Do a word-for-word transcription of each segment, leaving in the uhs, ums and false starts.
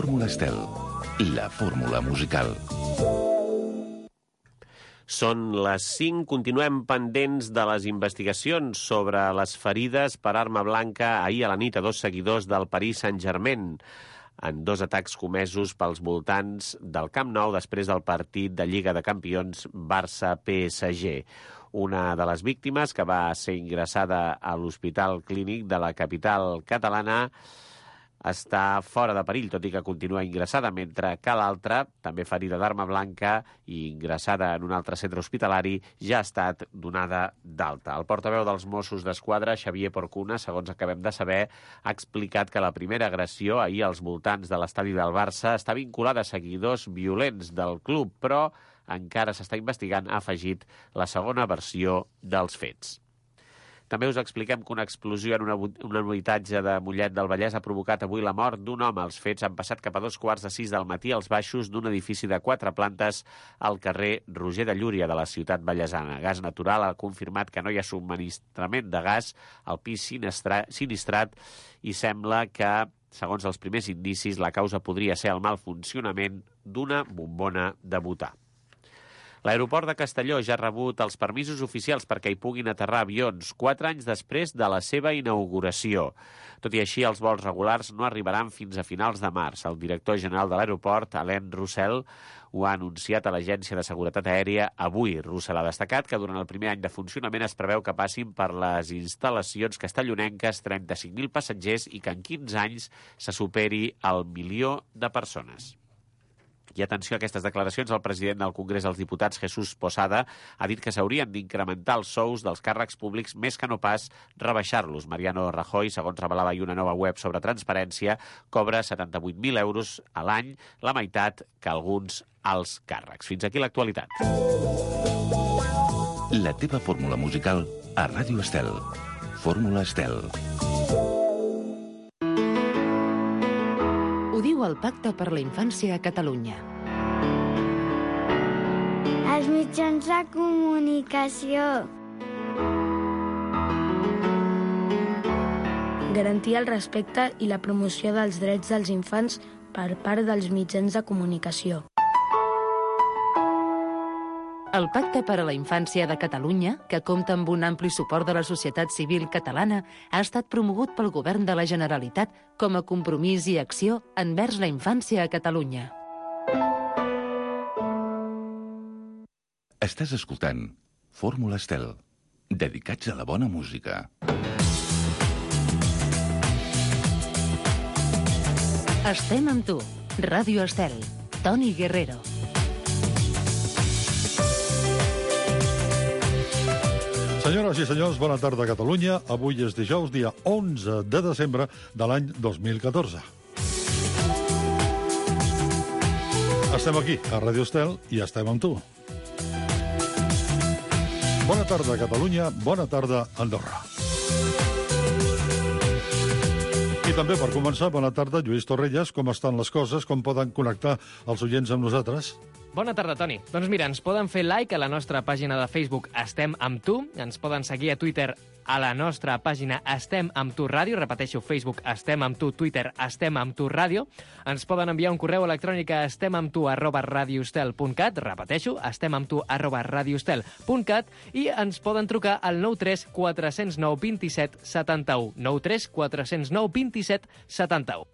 Fórmula Estel, la fórmula musical. Són les cinc. Continuem pendents de les investigacions sobre les ferides per arma blanca ahir a la nit a dos seguidors del Paris Saint-Germain en dos atacs comesos pels voltants del Camp Nou després del partit de Lliga de Campions Barça-P S G. Una de les víctimes, que va ser ingressada a l'Hospital Clínic de la capital catalana, està fora de perill, tot i que continua ingressada, mentre que l'altra, també ferida d'arma blanca i ingressada en un altre centre hospitalari, ja ha estat donada d'alta. El portaveu dels Mossos d'Esquadra, Xavier Porcuna, segons acabem de saber, ha explicat que la primera agressió ahir als voltants de l'estadi del Barça està vinculada a seguidors violents del club, però encara s'està investigant, ha afegit la segona versió dels fets. També us expliquem que una explosió en una, un habitatge de Mollet del Vallès ha provocat avui la mort d'un home. Els fets han passat cap a dos quarts de sis del matí als baixos d'un edifici de quatre plantes al carrer Roger de Llúria de la ciutat vallesana. Gas Natural ha confirmat que no hi ha subministrament de gas al pis sinistrat i sembla que, segons els primers indicis, la causa podria ser el mal funcionament d'una bombona de butà. L'aeroport de Castelló ja ha rebut els permisos oficials perquè hi puguin aterrar avions quatre anys després de la seva inauguració. Tot i així, els vols regulars no arribaran fins a finals de març. El director general de l'aeroport, Alain Roussel, ho ha anunciat a l'Agència de Seguretat Aèria avui. Roussel ha destacat que durant el primer any de funcionament es preveu que passin per les instal·lacions castellonenques trenta-cinc mil passatgers i que en quinze anys se superi el milió de persones. I atenció a aquestes declaracions, el president del Congrés dels Diputats, Jesús Posada, ha dit que s'haurien d'incrementar els sous dels càrrecs públics més que no pas rebaixar-los. Mariano Rajoy, segons revelava ahir una nova web sobre transparència, cobra setanta-vuit mil euros a l'any, la meitat que alguns alts càrrecs. Fins aquí l'actualitat. La teva fórmula musical a Ràdio Estel. Fórmula Estel. Ho diu el Pacte per la Infància a Catalunya. Els mitjans de comunicació. Garantir el respecte i la promoció dels drets dels infants per part dels mitjans de comunicació. El Pacte per a la Infància de Catalunya, que compta amb un ampli suport de la societat civil catalana, ha estat promogut pel Govern de la Generalitat com a compromís i acció envers la infància a Catalunya. Estàs escoltant Fórmula Estel, dedicats a la bona música. Estem amb tu. Ràdio Estel. Toni Guerrero. Senyores i senyors, bona tarda a Catalunya. Avui és dijous, dia onze de desembre de l'any dos mil catorze. Estem aquí, a Ràdio Estel, i estem amb tu. Bona tarda, Catalunya. Bona tarda, Andorra. I també, per començar, bona tarda, Lluís Torrelles. Com estan les coses? Com poden connectar els oients amb nosaltres? Bona tarda, Toni. Doncs mira, ens poden fer like a la nostra pàgina de Facebook Estem amb tu, ens poden seguir a Twitter a la nostra pàgina Estem amb tu ràdio, repeteixo, Facebook Estem amb tu, Twitter Estem amb tu ràdio, ens poden enviar un correu electrònic a estemamtu arroba radioestel punt cat, repeteixo, estemamtu arroba radioestel punt cat, i ens poden trucar al nou tres quatre zero nou dos set set u, nou tres quatre zero nou dos set set u.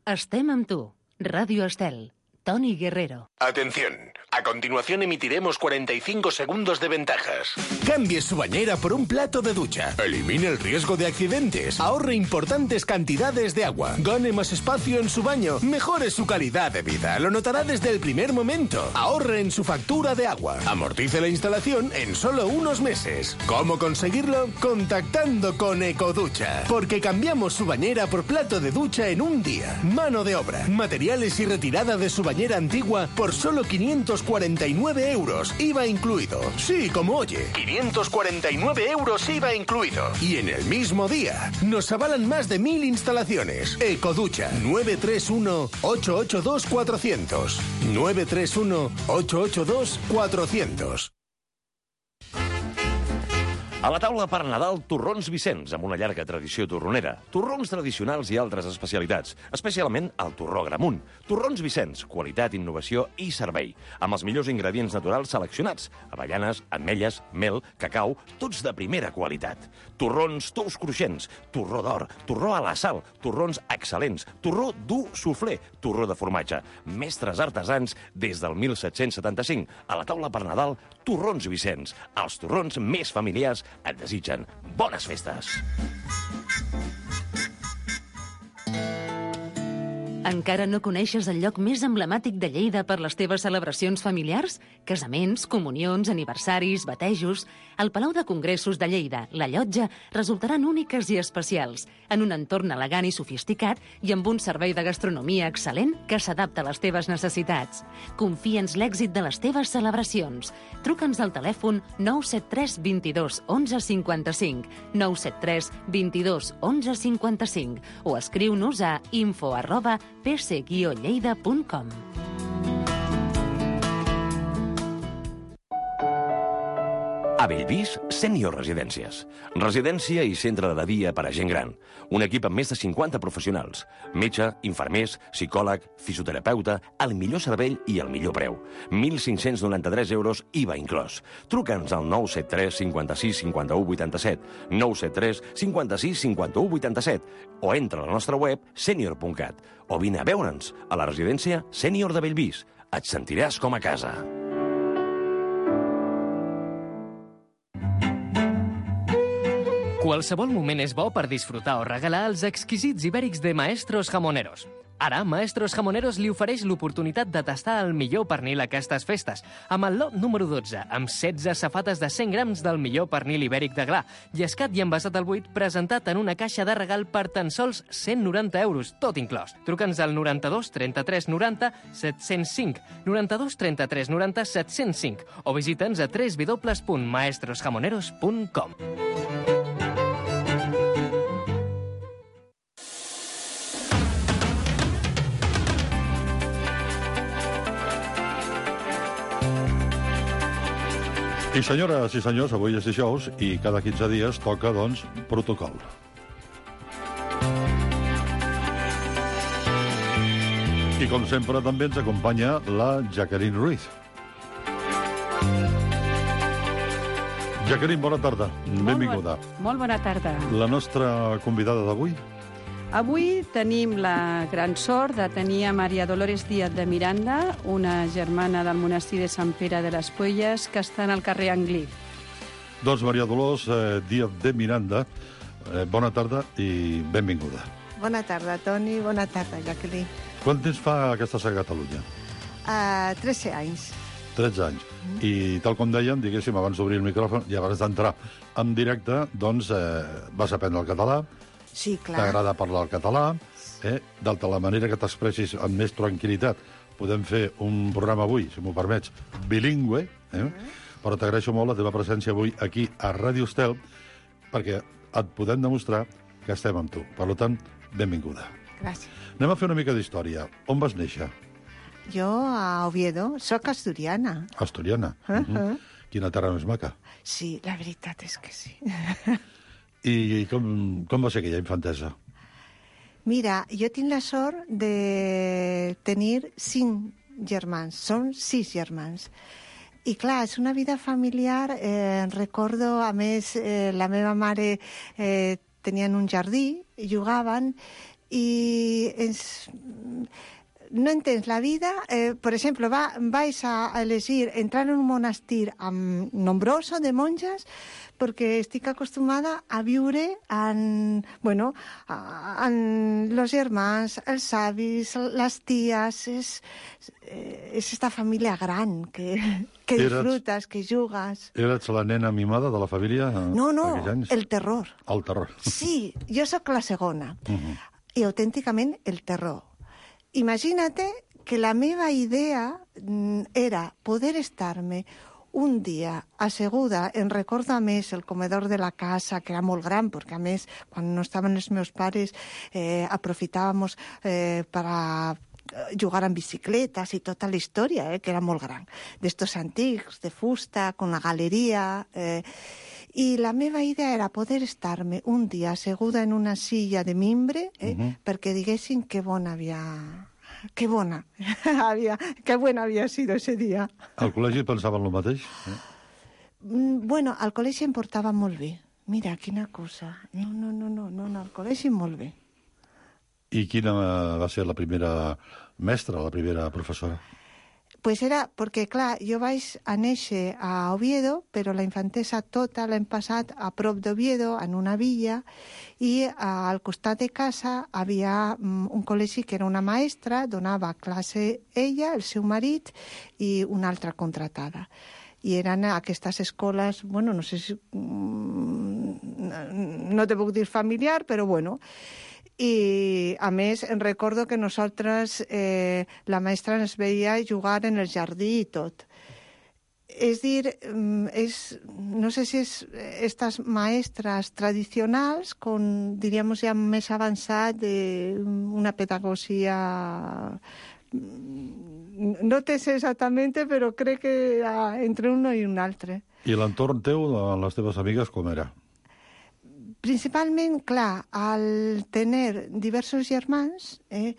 Estem amb tu. Ràdio Estel. Toni Guerrero. Atención, a continuación emitiremos cuarenta y cinco segundos de ventajas. Cambie su bañera por un plato de ducha. Elimine el riesgo de accidentes. Ahorre importantes cantidades de agua. Gane más espacio en su baño. Mejore su calidad de vida. Lo notará desde el primer momento. Ahorre en su factura de agua. Amortice la instalación en solo unos meses. ¿Cómo conseguirlo? Contactando con Ecoducha. Porque cambiamos su bañera por plato de ducha en un día. Mano de obra, materiales y retirada de su bañera antigua por solo quinientos cuarenta y nueve euros, I V A incluido. Sí, como oye, quinientos cuarenta y nueve euros I V A incluido. Y en el mismo día, nos avalan más de mil instalaciones. Ecoducha, nueve tres uno ocho ocho dos cuatro cero cero. nueve tres uno ocho ocho dos cuatro cero cero. A la taula per Nadal, torrons Vicenç, amb una llarga tradició torronera. Torrons tradicionals i altres especialitats, especialment el torró Gramunt. Torrons Vicenç, qualitat, innovació i servei, amb els millors ingredients naturals seleccionats. Avellanes, ametlles, mel, cacau, tots de primera qualitat. Torrons tous cruixents, torró d'or, torró a la sal, torrons excel·lents, torró dur suflé, torró de formatge. Mestres artesans des del mil set-cents setanta-cinc. A la taula per Nadal, torrons Vicenç. Els torrons més familiars et desitgen bones festes. Encara no coneixes el lloc més emblemàtic de Lleida per les teves celebracions familiars? Casaments, comunions, aniversaris, batejos... El Palau de Congressos de Lleida, la Llotja, resultaran úniques i especials, en un entorn elegant i sofisticat i amb un servei de gastronomia excel·lent que s'adapta a les teves necessitats. Confia'ns l'èxit de les teves celebracions. Truca'ns al telèfon nou set tres dos dos onze cinquanta-cinc, nou set tres dos dos onze cinquanta-cinc o escriu-nos a info arroba p c guió lleida punt com. A Bellvís, Sènior Residències. Residència i centre de dia per a gent gran. Un equip amb més de cinquanta professionals. Metge, infermers, psicòleg, fisioterapeuta, el millor servei i el millor preu. mil cinc-cents noranta-tres euros I V A inclòs. Truca'ns al nou set tres cinquanta-sis cinquanta-u vuitanta-set, nou set tres cinquanta-sis cinquanta-u vuitanta-set o entra a la nostra web senior punt cat o vine a veure'ns a la residència Sènior de Bellvís. Et sentiràs com a casa. Qualsevol moment és bo per disfrutar o regalar els exquisits ibèrics de Maestros Jamoneros. Ara, Maestros Jamoneros li ofereix l'oportunitat de tastar el millor pernil a aquestes festes, amb el lot número dotze, amb setze safates de cent grams del millor pernil ibèric de gla, llescat i envasat al buit, presentat en una caixa de regal per tan sols cent noranta euros, tot inclòs. Truca'ns al noranta-dos trenta-tres noranta set-cents cinc, noranta-dos trenta-tres noranta set-cents cinc o visita'ns a w w w punt maestros jamoneros punt com. I senyores i senyors, avui és dijous i cada quinze dies toca, doncs, protocol. I com sempre també ens acompanya la Jacqueline Ruiz. Jacqueline, bona tarda. Benvinguda. Molt, bon, molt bona tarda. La nostra convidada d'avui? Avui tenim la gran sort de tenir a Maria Dolores Díaz de Miranda, una germana del monestir de Sant Pere de les Puelles, que està al carrer Anglí. Doncs Maria Dolors eh, Díaz de Miranda, eh, bona tarda i benvinguda. Bona tarda, Toni. Bona tarda, Jacqueline. Quant temps fa que estàs a Catalunya? Uh, tretze anys. tretze anys. Mm. I tal com dèiem, diguéssim, abans d'obrir el micròfon i abans d'entrar en directe, doncs eh, vas aprendre el català. Sí, clar. T'agrada parlar el català, eh? de la manera que t'expressis amb més tranquil·litat. Podem fer un programa avui, si m'ho permets, bilingüe, eh? Mm. Però t'agraeixo molt la teva presència avui aquí a Ràdio Estel, perquè et podem demostrar que estem amb tu. Per tant, benvinguda. Gràcies. Anem a fer una mica d'història. On vas néixer? Jo a Oviedo, soc asturiana. Asturiana? Uh -huh. Uh -huh. Quina terra més maca. Sí, la veritat és que sí. I com, com va ser aquella infantesa? Mira, jo tinc la sort de tenir cinc germans. Són sis germans. I clar, és una vida familiar. Eh, recordo, a més, eh, la meva mare eh, tenien un jardí, jugaven, i ens... No entens la vida. Eh, per exemple, va, vais a elegir entrar en un monestir amb nombroso de monges perquè estic acostumada a viure en, bueno, en los germans, els avis, les ties. És, és esta família gran que, que disfrutes, que jugues. Eres la nena mimada de la família? No, no, el terror. El terror. Sí, jo sóc la segona. Uh-huh. I autènticament el terror. Imagínate que la meva idea era poder estar-me un dia asseguda, en recordo a més el comedor de la casa, que era molt gran, perquè a més, quan no estaven els meus pares, eh, aprofitàvem eh, per a jugar en bicicletes i tota la història, eh, que era molt gran. D'estos antics, de fusta, con la galeria... Eh, I la meva idea era poder estar-me un dia asseguda en una silla de mimbre eh, uh-huh. perquè diguessin que bona havia... Que bona havia... Que bona havia sido ese dia. Al col·legi pensaven el mateix? Eh? Bueno, al col·legi em portava molt bé. Mira, quina cosa. No, no, no, no, no, no al col·legi molt bé. I quina va ser la primera mestra, la primera professora? Pues era, perquè clar, jo vaig a néixer a Oviedo, però la infantesa tota l'hem passat a prop d'Oviedo, en una villa, i al costat de casa havia un col·legi que era una maestra, donava classe ella, el seu marit i una altra contratada. I eren aquestes escoles, bueno, no sé si... no te puc dir familiar, però bueno... I, a més, em recordo que nosaltres, eh, la maestra ens veia jugar en el jardí i tot. És dir, és, no sé si és estas maestras tradicionals, con, diríamos, ja més avançat d'una pedagogia... No te sé exactament, però crec que entre un i un altre. I l'entorn teu, les teves amigues, com era? Principalment, clar, al tenir diversos germans, eh,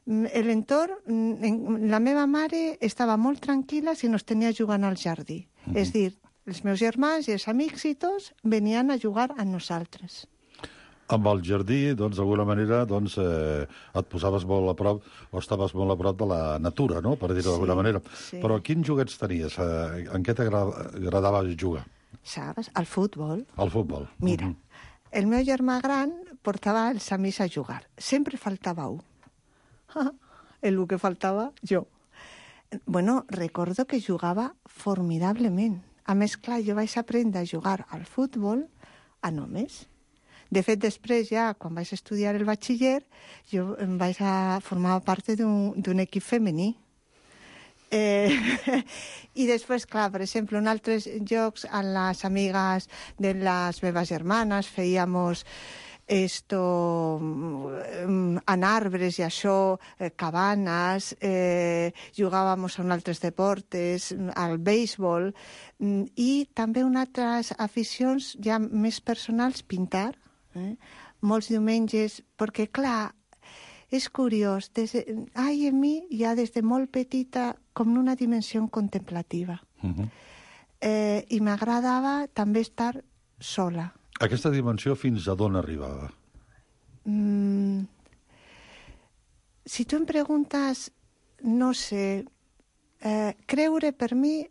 l'entorn, la meva mare estava molt tranquil·la si no es tenia jugant al jardí. Uh-huh. És dir, els meus germans i els amics i tots venien a jugar amb nosaltres. Amb el jardí, doncs, d'alguna manera, doncs, eh, et posaves molt a prop, o estaves molt a prop de la natura, no?, per dir-ho d'alguna manera. Sí. Però quins joguets tenies? Eh, en què t'agradava jugar? Saps? Al futbol. Al futbol. Mira, uh-huh. El meu germà gran portava els amics a jugar. Sempre faltava un. El que faltava, jo. Bueno, recordo que jugava formidablement. A més, clar, jo vaig aprendre a jugar al futbol a només. De fet, després, ja, quan vaig estudiar el batxiller, jo em vaig a formar part d'un equip femení. Eh, I després, clar, per exemple, en altres jocs, amb les amigues de les meves germanes, fèiamos esto, en arbres i això, eh, cabanes, eh, jugàvem en altres deportes, al béisbol, i també unes altres aficions ja més personals, pintar, eh? Molts diumenges, perquè, clar, és curiós, des de... ai, en mi ja des de molt petita com una dimensió contemplativa. Uh-huh. eh, I m'agradava també estar sola. Aquesta dimensió fins a d'on arribava? Mm, si tu em preguntes, no sé, eh, creure per mi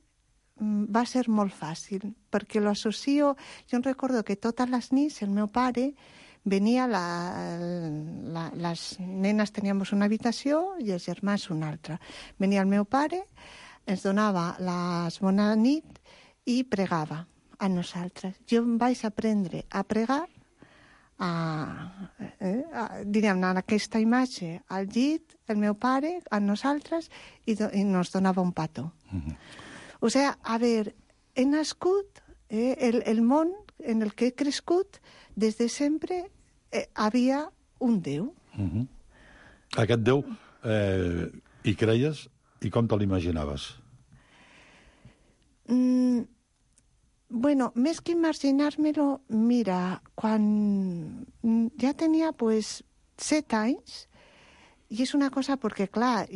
va ser molt fàcil, perquè l'associo... Jo em recordo que totes les nits el meu pare venia, la, la, les nenes teníem una habitació i els germans una altra. Venia el meu pare, ens donava les bona nit i pregava a nosaltres. Jo em vaig aprendre a pregar, a, eh, a, diríem, en aquesta imatge, al llit, el meu pare, a nosaltres, i, do, i nos donava un petó. Uh-huh. O sigui, a veure, he nascut, eh, el, el món en el que he crescut, des de sempre eh, havia un Déu. Uh-huh. Aquest Déu eh, hi creies i com te l'imaginaves? Mm, bueno, més que imaginar-me-lo, mira, quan ja tenia pues, set anys, i és una cosa perquè, clar,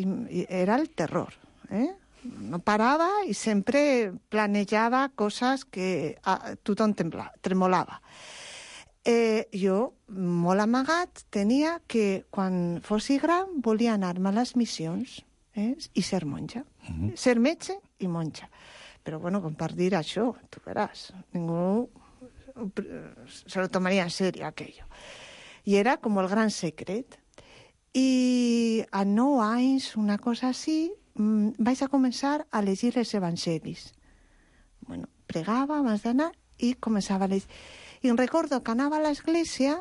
era el terror, eh? No parava i sempre planejava coses que a, tothom tembla, tremolava. Eh, jo, molt amagat, tenia que, quan fossi gran, volia anar-me a les missions eh, i ser monja. Uh-huh. Ser metge i monja. Però, bueno, com per dir això, tu veràs, ningú se lo tomaria en serio, aquello. I era com el gran secret. I a nou anys, una cosa així, vaig a començar a llegir els evangelis. Bueno, pregava abans d'anar i començava a llegir. I em recordo que anava a l'església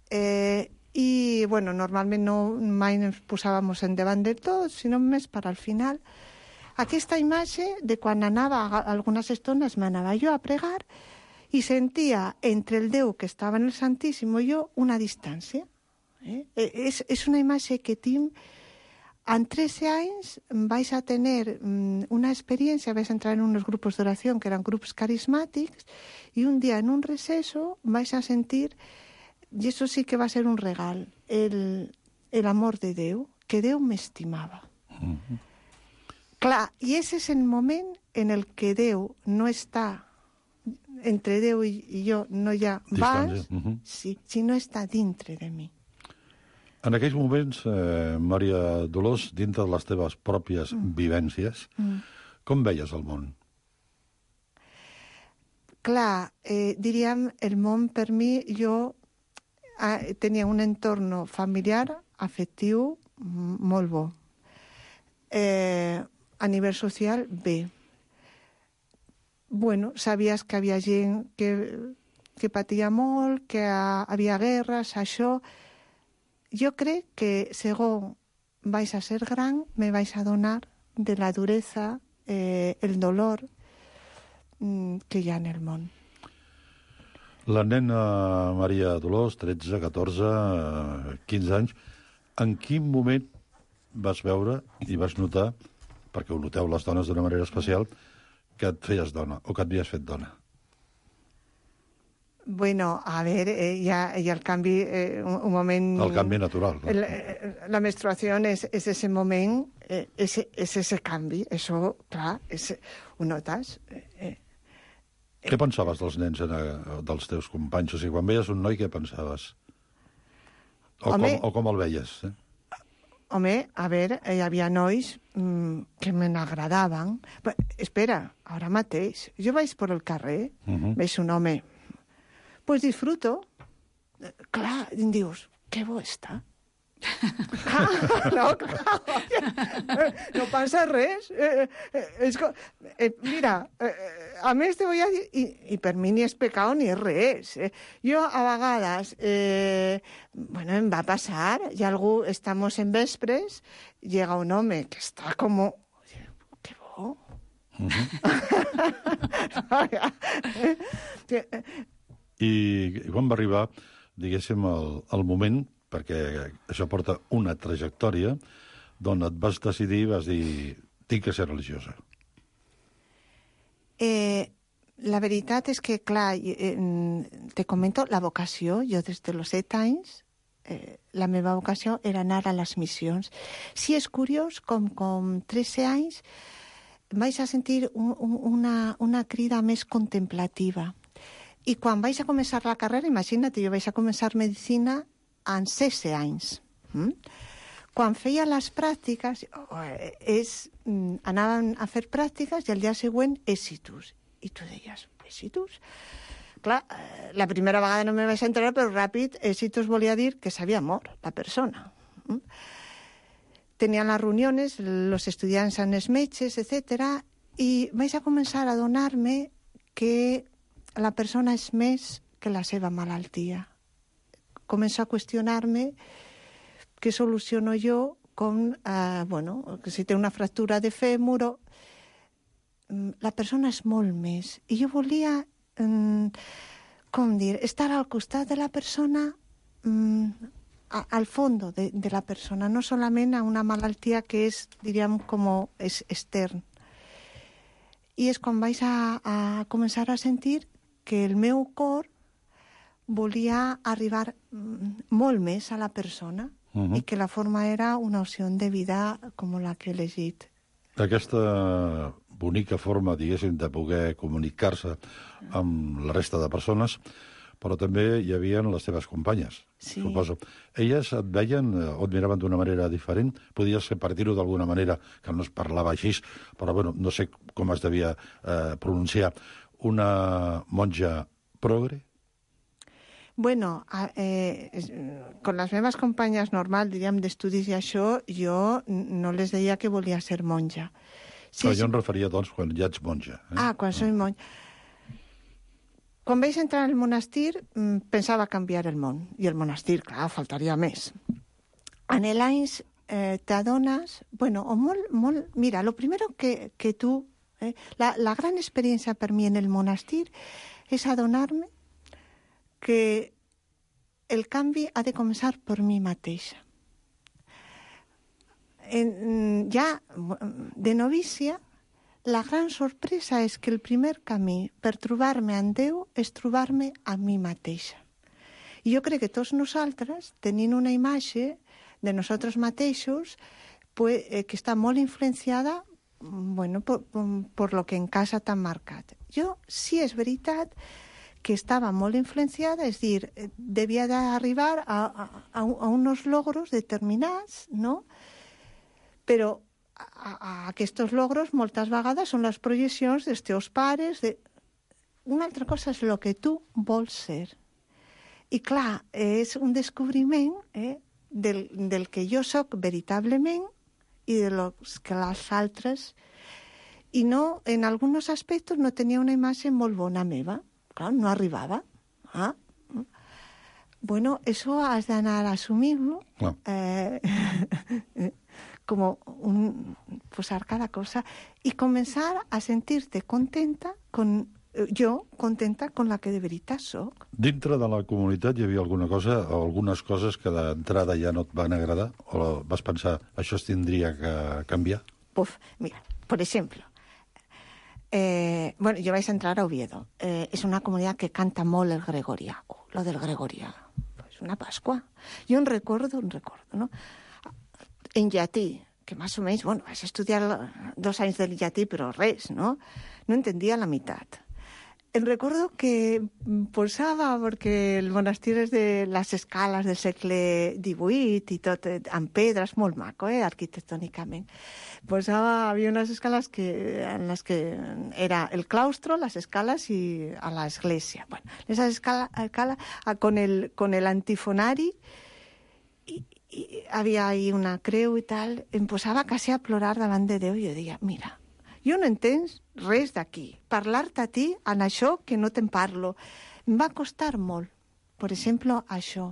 eh, i, bueno, normalment no, mai ens posàvem en davant de tot, sinó més per al final. Aquesta imatge de quan anava, algunes estones m'anava jo a pregar i sentia entre el Déu que estava en el Santíssim i jo una distància. Eh? És, és una imatge que tinc en trece anys vais a tener una experiencia, vais a entrar en unos grupos de oración que eran grupos carismáticos, y un día en un receso vais a sentir, y eso sí que va a ser un regal, el, el amor de Déu, que Déu m'estimava. Uh-huh. Clar, i ese és el moment en el que Déu no està, entre Déu i, i jo no hi ha vas, uh-huh. sí, sinó està dintre de mi. En aquells moments, eh, Maria Dolors, dintre de les teves pròpies mm. vivències, mm. com veies el món? Clar, eh, diríem, el món per mi, jo eh, tenia un entorn familiar, afectiu, molt bo. Eh, a nivell social, bé. Bueno, sabies que havia gent que, que patia molt, que ha, havia guerres, això. Jo crec que, segons vais a ser gran, me vais a donar de la dureza, eh, el dolor mm, que hi ha en el món. La nena Maria Dolors, tretze, catorze, quinze anys, en quin moment vas veure i vas notar, perquè ho noteu les dones d'una manera especial, que et feies dona o que et havies fet dona? Bueno, a ver, eh, ya, ya el canvi, eh, un, un moment... El canvi natural. No? La, la menstruació és, és ese moment, eh, és, és ese canvi. Això, clar, és, ho notes. Eh, eh. Què pensaves dels nens, eh, dels teus companys? O sigui, quan veies un noi, què pensaves? O, Home, com, o com el veies? Eh? Home, a veure, hi havia nois mmm, que me n'agradaven. Espera, ara mateix, jo vaig per el carrer, uh-huh. veig un home... Pues disfruto. Clar, em dius, que bo està. Ah, no, clar, no passa res. Eh, eh, és, eh, mira, eh, a més te voy a dir, i, i per mi ni és pecat ni és res. Eh. Jo, a vegades, eh, bueno, em va passar, i algú, estamos en vespres, llega un home que està com... Que bo. Uh-huh. I quan va arribar, diguéssim, el, el moment, perquè això porta una trajectòria, d'on et vas decidir, vas dir, tinc que ser religiosa? Eh, la veritat és que, clar, eh, te comento, la vocació, jo des de los set anys, eh, la meva vocació era anar a les missions. Si és curiós, com com tretze anys, vaig a sentir un, un, una, una crida més contemplativa. I quan vaig a començar la carrera, imagina't, jo vaig a començar medicina en setze anys. Mm? Quan feia les pràctiques, és, anàvem a fer pràctiques i el dia següent, èxitus. I tu deies, èxitus? Clar, la primera vegada no me vaig entrar, però ràpid, èxitus volia dir que s'havia mort la persona. Mm? Tenien les reunions, els estudiants amb els metges, etcètera, i vaig a començar a adonar-me que la persona és més que la seva malaltia. Començo a qüestionar-me què soluciono jo, com, eh, bueno, que si té una fractura de fèmur, la persona és molt més. I jo volia, eh, com dir, estar al costat de la persona, eh, al fons de, de la persona, no solament a una malaltia que és, diríem, com és extern. I és quan vaig a, a començar a sentir que el meu cor volia arribar molt més a la persona uh-huh. i que la forma era una opció de vida com la que he elegit. Aquesta bonica forma, diguéssim, de poder comunicar-se amb la resta de persones, però també hi havia les teves companyes, sí. Suposo. Elles et veien o et miraven d'una manera diferent? Podies per dir-ho d'alguna manera, que no es parlava així, però bueno, no sé com es devia eh, pronunciar. Una monja progre? Bueno, eh, con les meves companyes normal, diríem, d'estudis i això, jo no les deia que volia ser monja. Sí, però jo em referia, doncs, quan ja ets monja. Eh? Ah, quan soy monja. Quan vaig entrar al monestir, pensava canviar el món. I el monestir, clar, faltaria més. En l'anys eh, t'adones... Bueno, o molt, molt... Mira, lo primero que, que tu... Eh, la, la gran experiencia per mi en el monestir és adonar-me que el canvi ha de començar per mi mateixa. en, ja de novícia, la gran sorpresa és que el primer camí per trobar-me amb Déu és trobar-me a mi mateixa. I jo crec que tots nosaltres tenim una imatge de nosaltres mateixos pues, eh, que està molt influenciada bueno, por, por lo que en casa t'han marcat. Jo, sí és veritat que estava molt influenciada, és dir, devia d'arribar a, a, a uns logros determinats, no? Però a, a aquests logros moltes vegades són les projeccions dels teus pares. De... Una altra cosa és el que tu vols ser. I clar, és un descobriment eh, del, del que jo sóc veritablement i de los que els altres. I no, en alguns aspectes no tenia una imatge molt bona meva. Clar, no arribava. Ah. Bueno, eso has d'anar a assumir-lo. No. Eh, como un, posar cada cosa y comenzar a sentirte contenta con jo contenta con la que de veritat soc. Dintre de la comunitat hi havia alguna cosa o algunes coses que d'entrada ja no et van agradar o vas pensar això es tindria que canviar? Puf, mira, por ejemplo, eh, bueno, yo vais a entrar a Oviedo. Eh, es una comunidad que canta molt el gregorià. Oh, lo del gregorià. Es una Pascua. Jo en recordo, en recordo, ¿no? En llatí, que más o menos, bueno, vas a estudiar dos anys del llatí, però res, no? No entendia la meitat. En recordo que posava, perquè el monestir és de les escales del segle divuit i tot, amb pedres, molt maco, eh, arquitectònicament. Posava, havia unes escales que, en les que era el claustro, les escales i a l'església. Bueno, esa escala, escala con el, con el antifonari i, i havia ahí una creu i tal, em posava quasi a plorar davant de Déu i jo deia, mira, jo no entens res d'aquí. Parlar-te a ti en això que no te'n parlo. Em va costar molt. Per exemple, això.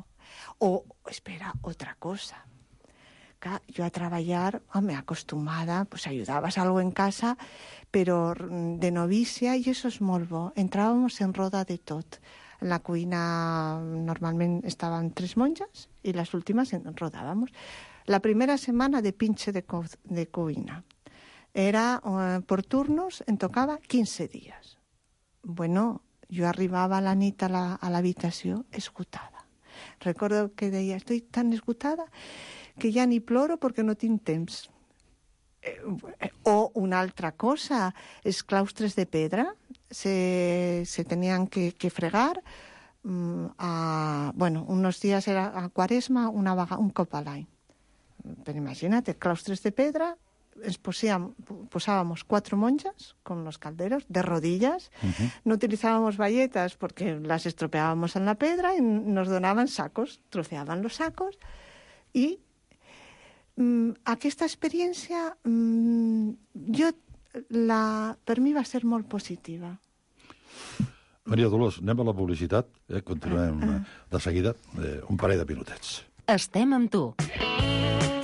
O, espera, otra cosa. Que jo a treballar, home, acostumada, pues ayudabas algo en casa, però de novícia, i això és molt bo. Entràvamos en roda de tot. En la cuina normalment estaven tres monges i les últimes en rodàvamos. La primera setmana de pinche de, co de cuina. Era uh, por turnos, em tocava quinze dies. Bueno, jo arribava a la nit a l'habitació la, esgotada. Recordo que deia, estoy tan esgotada que ja ni ploro perquè no tinc temps. Eh, o una altra cosa, els claustres de pedra se, se tenien que, que fregar um, a, bueno, unos días era a Quaresma, una vaga, un cop a l'any. Però imagina't, claustres de pedra, ens posíamos, posábamos cuatro monjas con los calderos de rodillas. Uh-huh. No utilizábamos bayetas porque las estropeábamos en la pedra y nos donaban sacos, troceaban los sacos. I mm, aquesta experiència mm, jo, la, per mi va ser molt positiva. Maria Dolors, anem a la publicitat. Eh? Continuem uh, uh. de seguida. Eh, un parell de minutets. Estem amb tu.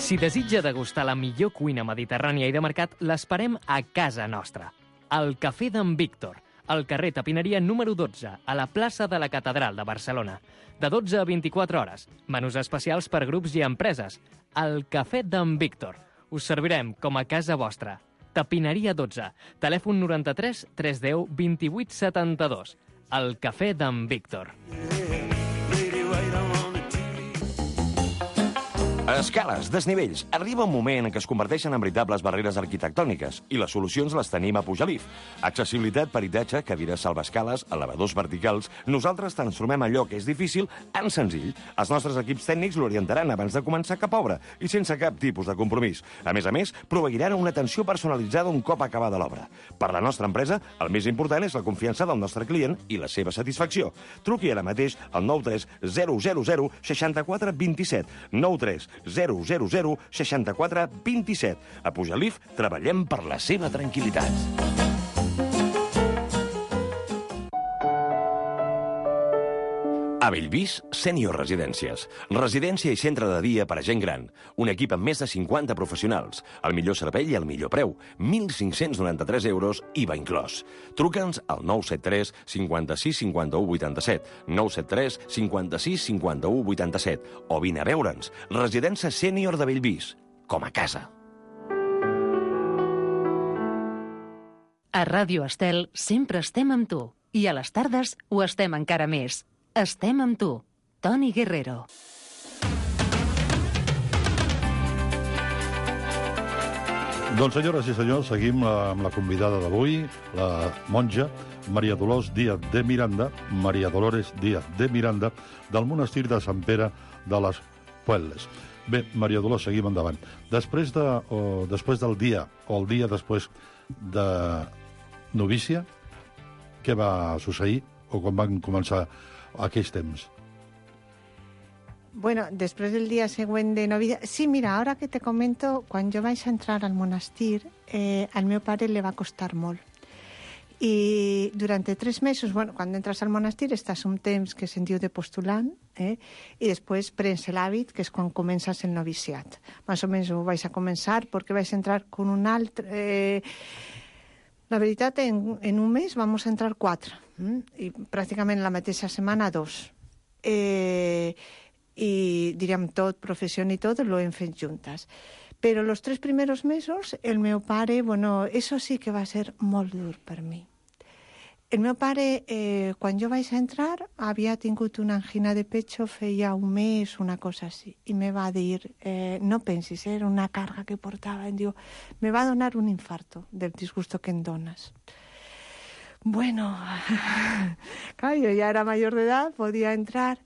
Si desitja degustar la millor cuina mediterrània i de mercat, l'esperem a casa nostra. Al Cafè d'en Víctor, al carrer Tapineria número dotze, a la plaça de la Catedral de Barcelona. De dotze a vint-i-quatre hores. Menús especials per grups i empreses. Al Cafè d'en Víctor. Us servirem com a casa vostra. Tapineria dotze. Telèfon noranta-tres tres deu vint-i-vuit setanta-dos. Al Cafè d'en Víctor. Escales, desnivells. Arriba un moment en què es converteixen en veritables barreres arquitectòniques i les solucions les tenim a Pujalif. Accessibilitat, peritatge, cadires salvaescales, elevadors verticals. Nosaltres transformem allò que és difícil en senzill. Els nostres equips tècnics l'orientaran abans de començar cap obra i sense cap tipus de compromís. A més a més, proveiran una atenció personalitzada un cop acabada l'obra. Per la nostra empresa, el més important és la confiança del nostre client i la seva satisfacció. Truqui ara mateix al nou tres zero zero zero sis quatre dos set. nou tres zero zero zero sis quatre dos set. A Pujalif treballem per la seva tranquil·litat. A Bellvís, Sènior Residències. Residència i centre de dia per a gent gran. Un equip amb més de cinquanta professionals. El millor servei i el millor preu. mil cinc-cents noranta-tres euros, I V A inclòs. Truca'ns al nou set tres cinquanta-sis cinquanta-u vuitanta-set, nou set tres cinquanta-sis cinquanta-u vuitanta-set o vine a veure'ns. Residència Sènior de Bellvís. Com a casa. A Ràdio Estel sempre estem amb tu. I a les tardes ho estem encara més. Estem amb tu. Toni Guerrero. Doncs, senyores i senyors, seguim amb la convidada d'avui, la monja Maria Dolors Díaz de Miranda, Maria Dolores Díaz de Miranda, del monestir de Sant Pere de les Puelles. Bé, Maria Dolors, seguim endavant. Després, de, o, després del dia, o el dia després de novícia, què va succeir, o quan van començar aquells temps? Bueno, després del dia següent de novicia... Sí, mira, ara que te comento, quan jo vaig entrar al monestir, eh, al meu pare li va costar molt. I durant tres mesos, bueno, quan entres al monestir, estàs un temps que se'n diu de postulant, eh? I després prens l'hàbit, que és quan comences el noviciat. Més o menys ho vaig a començar, perquè vaig entrar con un altre... Eh... La veritat, en, en un mes vamos a entrar quatre, eh? I pràcticament la mateixa setmana dos. Eh... i diríem tot, professió i tot, lo hem fet juntes. Però los tres primeros mesos, el meu pare, bueno, eso sí que va ser molt dur per mi. El meu pare, eh, quan jo vaig entrar, havia tingut una angina de pecho feia un mes, una cosa així, i me va dir, eh, no pensis, era una carga que portava, em diu, me va donar un infarto del disgusto que em dones. Bueno, clar, jo ja era major d'edat, podia entrar.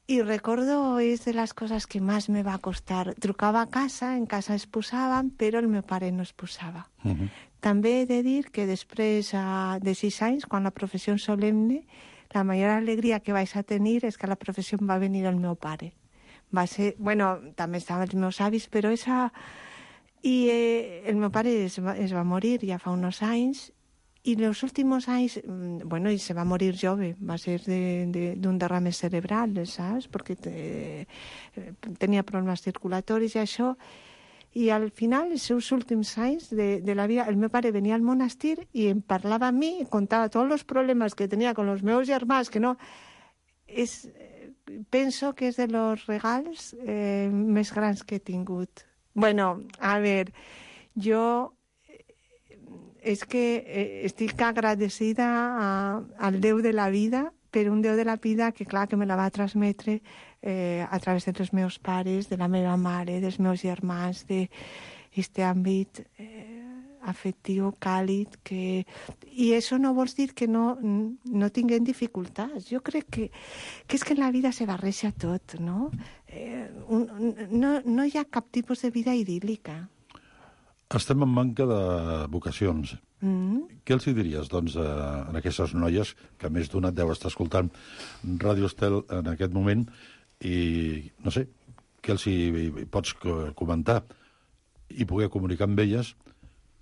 I recordo, és de les coses que més me va costar. Trucava a casa, en casa es posaven, però el meu pare no es posava. Uh-huh. També he de dir que després uh, de sis anys, quan la professió solemne, la major alegria que vaig a tenir és que a la professió va venir el meu pare. Va ser, bueno, també estaven els meus avis, però esa... I eh, el meu pare es va, es va morir ja fa uns anys. I els últims anys, bueno, i se va morir jove, va ser d'un de, de, derrame cerebral, saps? Perquè te, tenia problemes circulatoris i això. I al final, els seus últims anys de, de la vida, el meu pare venia al monestir i em parlava a mi, em contava tots els problemes que tenia amb els meus germans, que no... És, penso que és de los regals eh, més grans que he tingut. Bueno, a veure, jo... és que eh, estic agradecida a, al Déu de la vida, per un Déu de la vida que, clar, que me la va transmetre eh, a través dels meus pares, de la meva mare, dels meus germans, d'aquest àmbit eh, afectiu, càlid, que... I això no vol dir que no, no tinguem dificultats. Jo crec que, que és que en la vida se barreja tot, no? Eh, un, no? No hi ha cap tipus de vida idíl·lica. Estem en manca de vocacions. Mm. Què els hi diries, doncs, a, a aquestes noies, que més d'una deu estar escoltant Ràdio Estel en aquest moment, i, no sé, què els hi, hi pots comentar i poder comunicar amb elles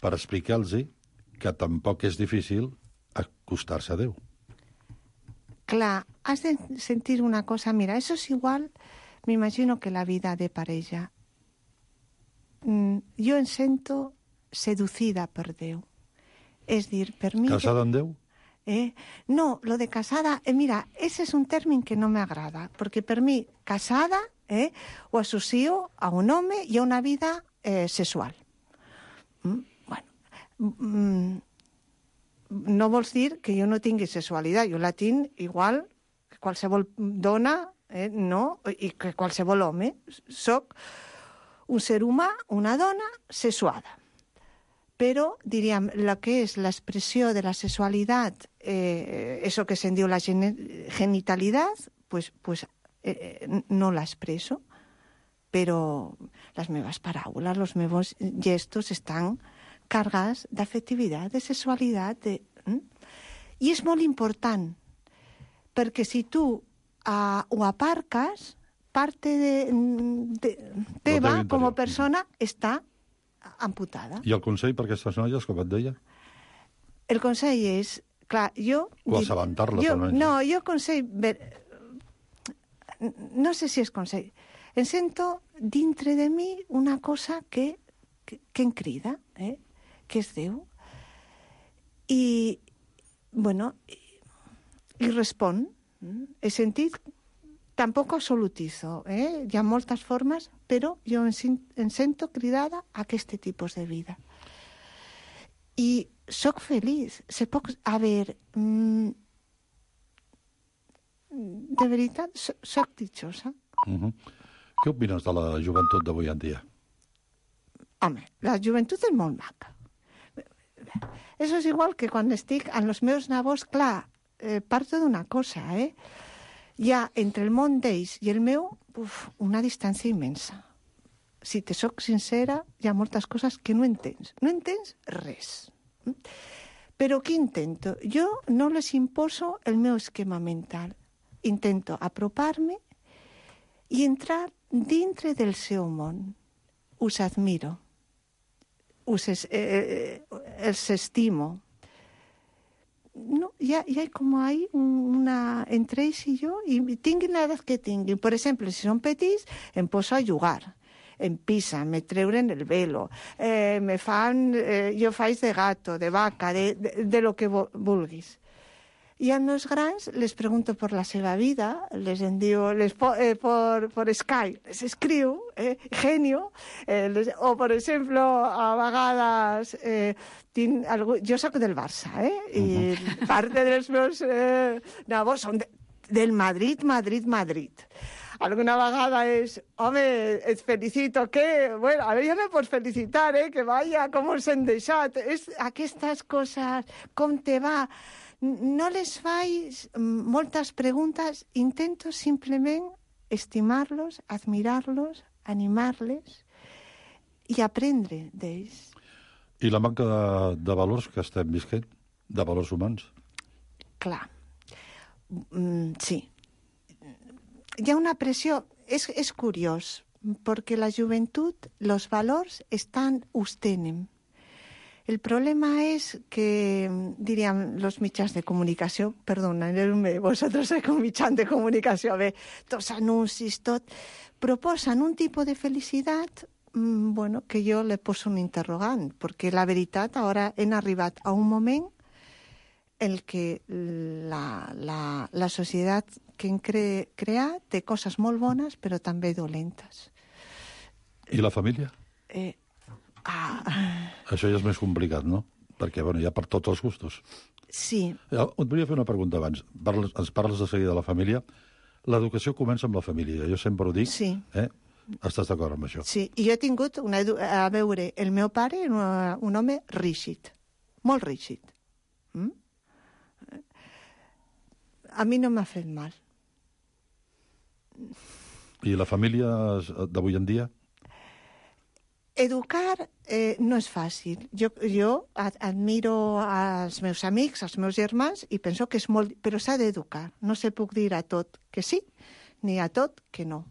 per explicar-los que tampoc és difícil acostar-se a Déu? Clar, has de sentir una cosa. Mira, eso es igual, m'imagino que la vida de parella. Jo em sento seducida per Déu. És dir, per mi... Casada amb Déu? Eh? No, lo de casada... Eh, mira, ese es un términ que no me agrada, perquè per mi, casada, eh, ho associo a un home i a una vida eh, sexual. Mm, bueno, mm, no vols dir que jo no tingui sexualitat. Jo la tinc igual que qualsevol dona, eh, no? I que qualsevol home. Soc un ser humà, una dona, sexuada. Però, diríem, el que és l'expressió de la sexualitat, eh, eso que se'n diu la genitalitat, pues, pues, eh, no l'expreso, però les meves paraules, els meus gestos estan cargats d'afectivitat, de sexualitat. De... I és molt important, perquè si tu uh, ho aparques, parte de, de teva com a persona està amputada. I el consell per aquestes noies, com et deia? El consell és, clar, jo... O assabentar-les, almenys. No, jo consell... No sé si és consell. Em sento dintre de mi una cosa que, que, que em crida, eh? Que és Déu. I, bueno, i, i respon. He sentit... Tampoc absolutizo, eh? Hi ha moltes formes, però jo em, em sento cridada a aquest tipus de vida. I soc feliç. Se poc... A veure, mm, de veritat, so, soc ditxosa. Uh-huh. Què opines de la joventut d'avui en dia? Home, la joventut és molt maca. Eso és igual que quan estic amb els meus nabos, clar, eh, parto d'una cosa, eh? Hi ha entre el món d'ells i el meu uf, una distància immensa. Si te soc sincera, hi ha moltes coses que no entens. No entens res. Però què intento? Jo no les imposo el meu esquema mental. Intento apropar-me i entrar dintre del seu món. Us admiro. Us es, eh, els estimo. No, ya, ya hay como hay una entre ells i jo, i tinguin l'edat que tinguin. Per exemple, si són petits, em poso a jugar. Em pisen, me treuren el velo, eh, me fan, eh, jo faig de gato, de vaca, de, de, de lo que vulguis. I a els grans les pregunto per la seva vida, les envio les po, eh, por, por Skype, les escriu, eh, genio, eh, les, o, per exemple, a vegades, eh, tinc algú, jo soc del Barça, eh, i uh-huh. part dels meus eh, nabos són de, del Madrid, Madrid, Madrid. Alguna vegada és, home, et felicito, que, bueno, a veure, ja me pots felicitar, eh, que vaya, com us hem deixat, és aquestes coses, com te va... No les faig moltes preguntes, intento simplement estimar-los, admirar-los, animar-les i aprendre d'ells. I la manca de, de valors que estem visquent, de valors humans? Clar, mm, sí. Hi ha una pressió, és, és curiós, perquè la joventut, els valors estan, us tenen. El problema es que, diríem, los mitjans de comunicació, perdoneu-me, vosaltres sou un mitjan de comunicació, bé, tots anuncis, tot, proposen un tipus de felicitat, mmm, bueno, que jo le poso un interrogant, perquè la veritat, ara hem arribat a un moment en què la, la, la societat que hem cre, creat té coses molt bones, però també dolentes. I la família? Eh, Ah. Això ja és més complicat, no? Perquè, bueno, hi ha per tots els gustos. Sí. Et volia fer una pregunta abans. Parles, ens parles de seguida de la família. L'educació comença amb la família. Jo sempre ho dic. Sí. Eh? Estàs d'acord amb això? Sí, i jo he tingut una edu... A veure, el meu pare era un home rígid. Molt rígid. Mm? A mi no m'ha fet mal. I la família d'avui en dia? Educar eh, no és fàcil. Jo, jo admiro als meus amics, als meus germans, i penso que és molt... Però s'ha d'educar. No se puc dir a tot que sí, ni a tot que no.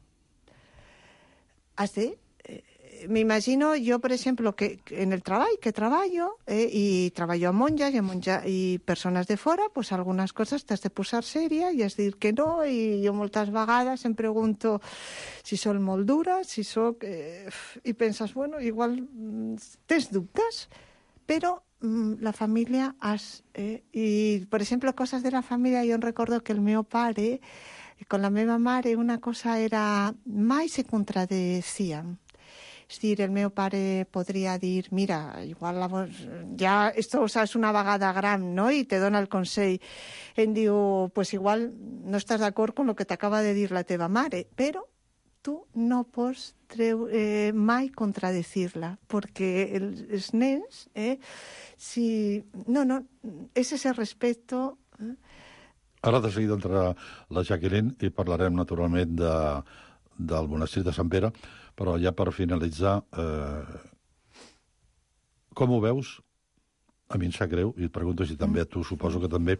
Has de... Eh, M'imagino jo, per exemple, que en el treball que treballo, eh, i treballo amb monges i, amb monja, i persones de fora, pues algunes coses t'has de posar sèria i has de dir que no, i jo moltes vegades em pregunto si soc molt dura, si soc... Eh, i penses, bueno, igual tens dubtes, però mm, la família has... Eh, I, per exemple, coses de la família, jo em recordo que el meu pare, con la meva mare, una cosa era... Mai se contradecían. És dir, el meu pare podria dir, mira, igual la vos... ja esto, o sea, és una vegada gran, no?, i te dona el consell. Em diu, pues igual no estàs d'acord con lo que t'acaba de dir la teva mare, però tu no pots treu, eh, mai contradecir-la, perquè els, els nens, eh, si... No, no, és ese respecto... Eh? Ara de seguida entrarà la Jacqueline i parlarem naturalment de, del monestir de Sant Pere, però ja per finalitzar, eh, com ho veus? A mi em sap greu, i et pregunto si també a tu, suposo que també,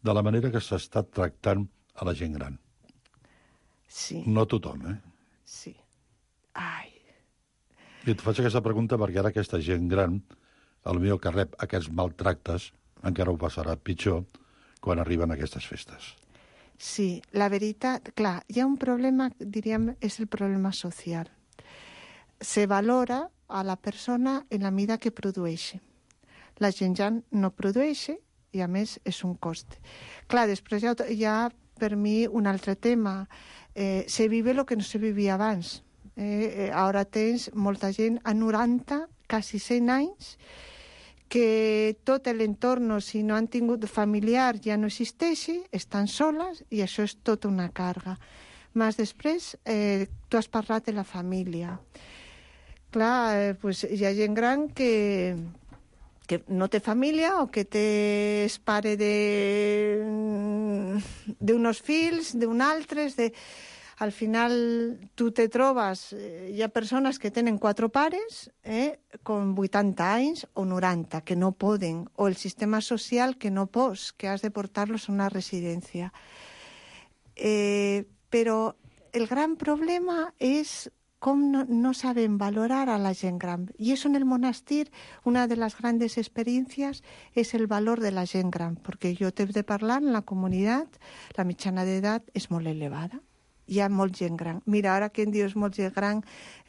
de la manera que s'està tractant a la gent gran. Sí. No tothom, eh? Sí. Ai. I et faig aquesta pregunta perquè ara aquesta gent gran, el meu que rep aquests maltractes, encara ho passarà pitjor quan arriben aquestes festes. Sí, la veritat, clar, hi ha un problema, diríem, és el problema social. Se valora a la persona en la mida que produeix. La gent ja no produeix i, a més, és un cost. Clar, després hi ha, hi ha per mi, un altre tema. Eh, se vive lo que no se vivia abans. Eh, eh, ara tens molta gent a noranta, quasi cent anys, que tot l'entorn, si no han tingut familiar, ja no existeixi, estan soles i això és tota una càrrega. Més després, eh, tu has parlat de la família. Clar, eh, pues, hi ha gent gran que, que no té família o que té és pare d'uns fills, d'un altres, de... Al final tu te trobes, eh, hi ha persones que tenen quatre pares, eh, con vuitanta anys o noranta, que no poden, o el sistema social que no pots, que has de portar-los a una residència. Eh, però el gran problema és com no, no saben valorar a la gent gran. I això en el monestir, una de les grans experiències és el valor de la gent gran, perquè jo t'he de parlar en la comunitat, la mitjana d'edat és molt elevada. Hi ha molt gent gran. Mira, ara que em dius molt gent gran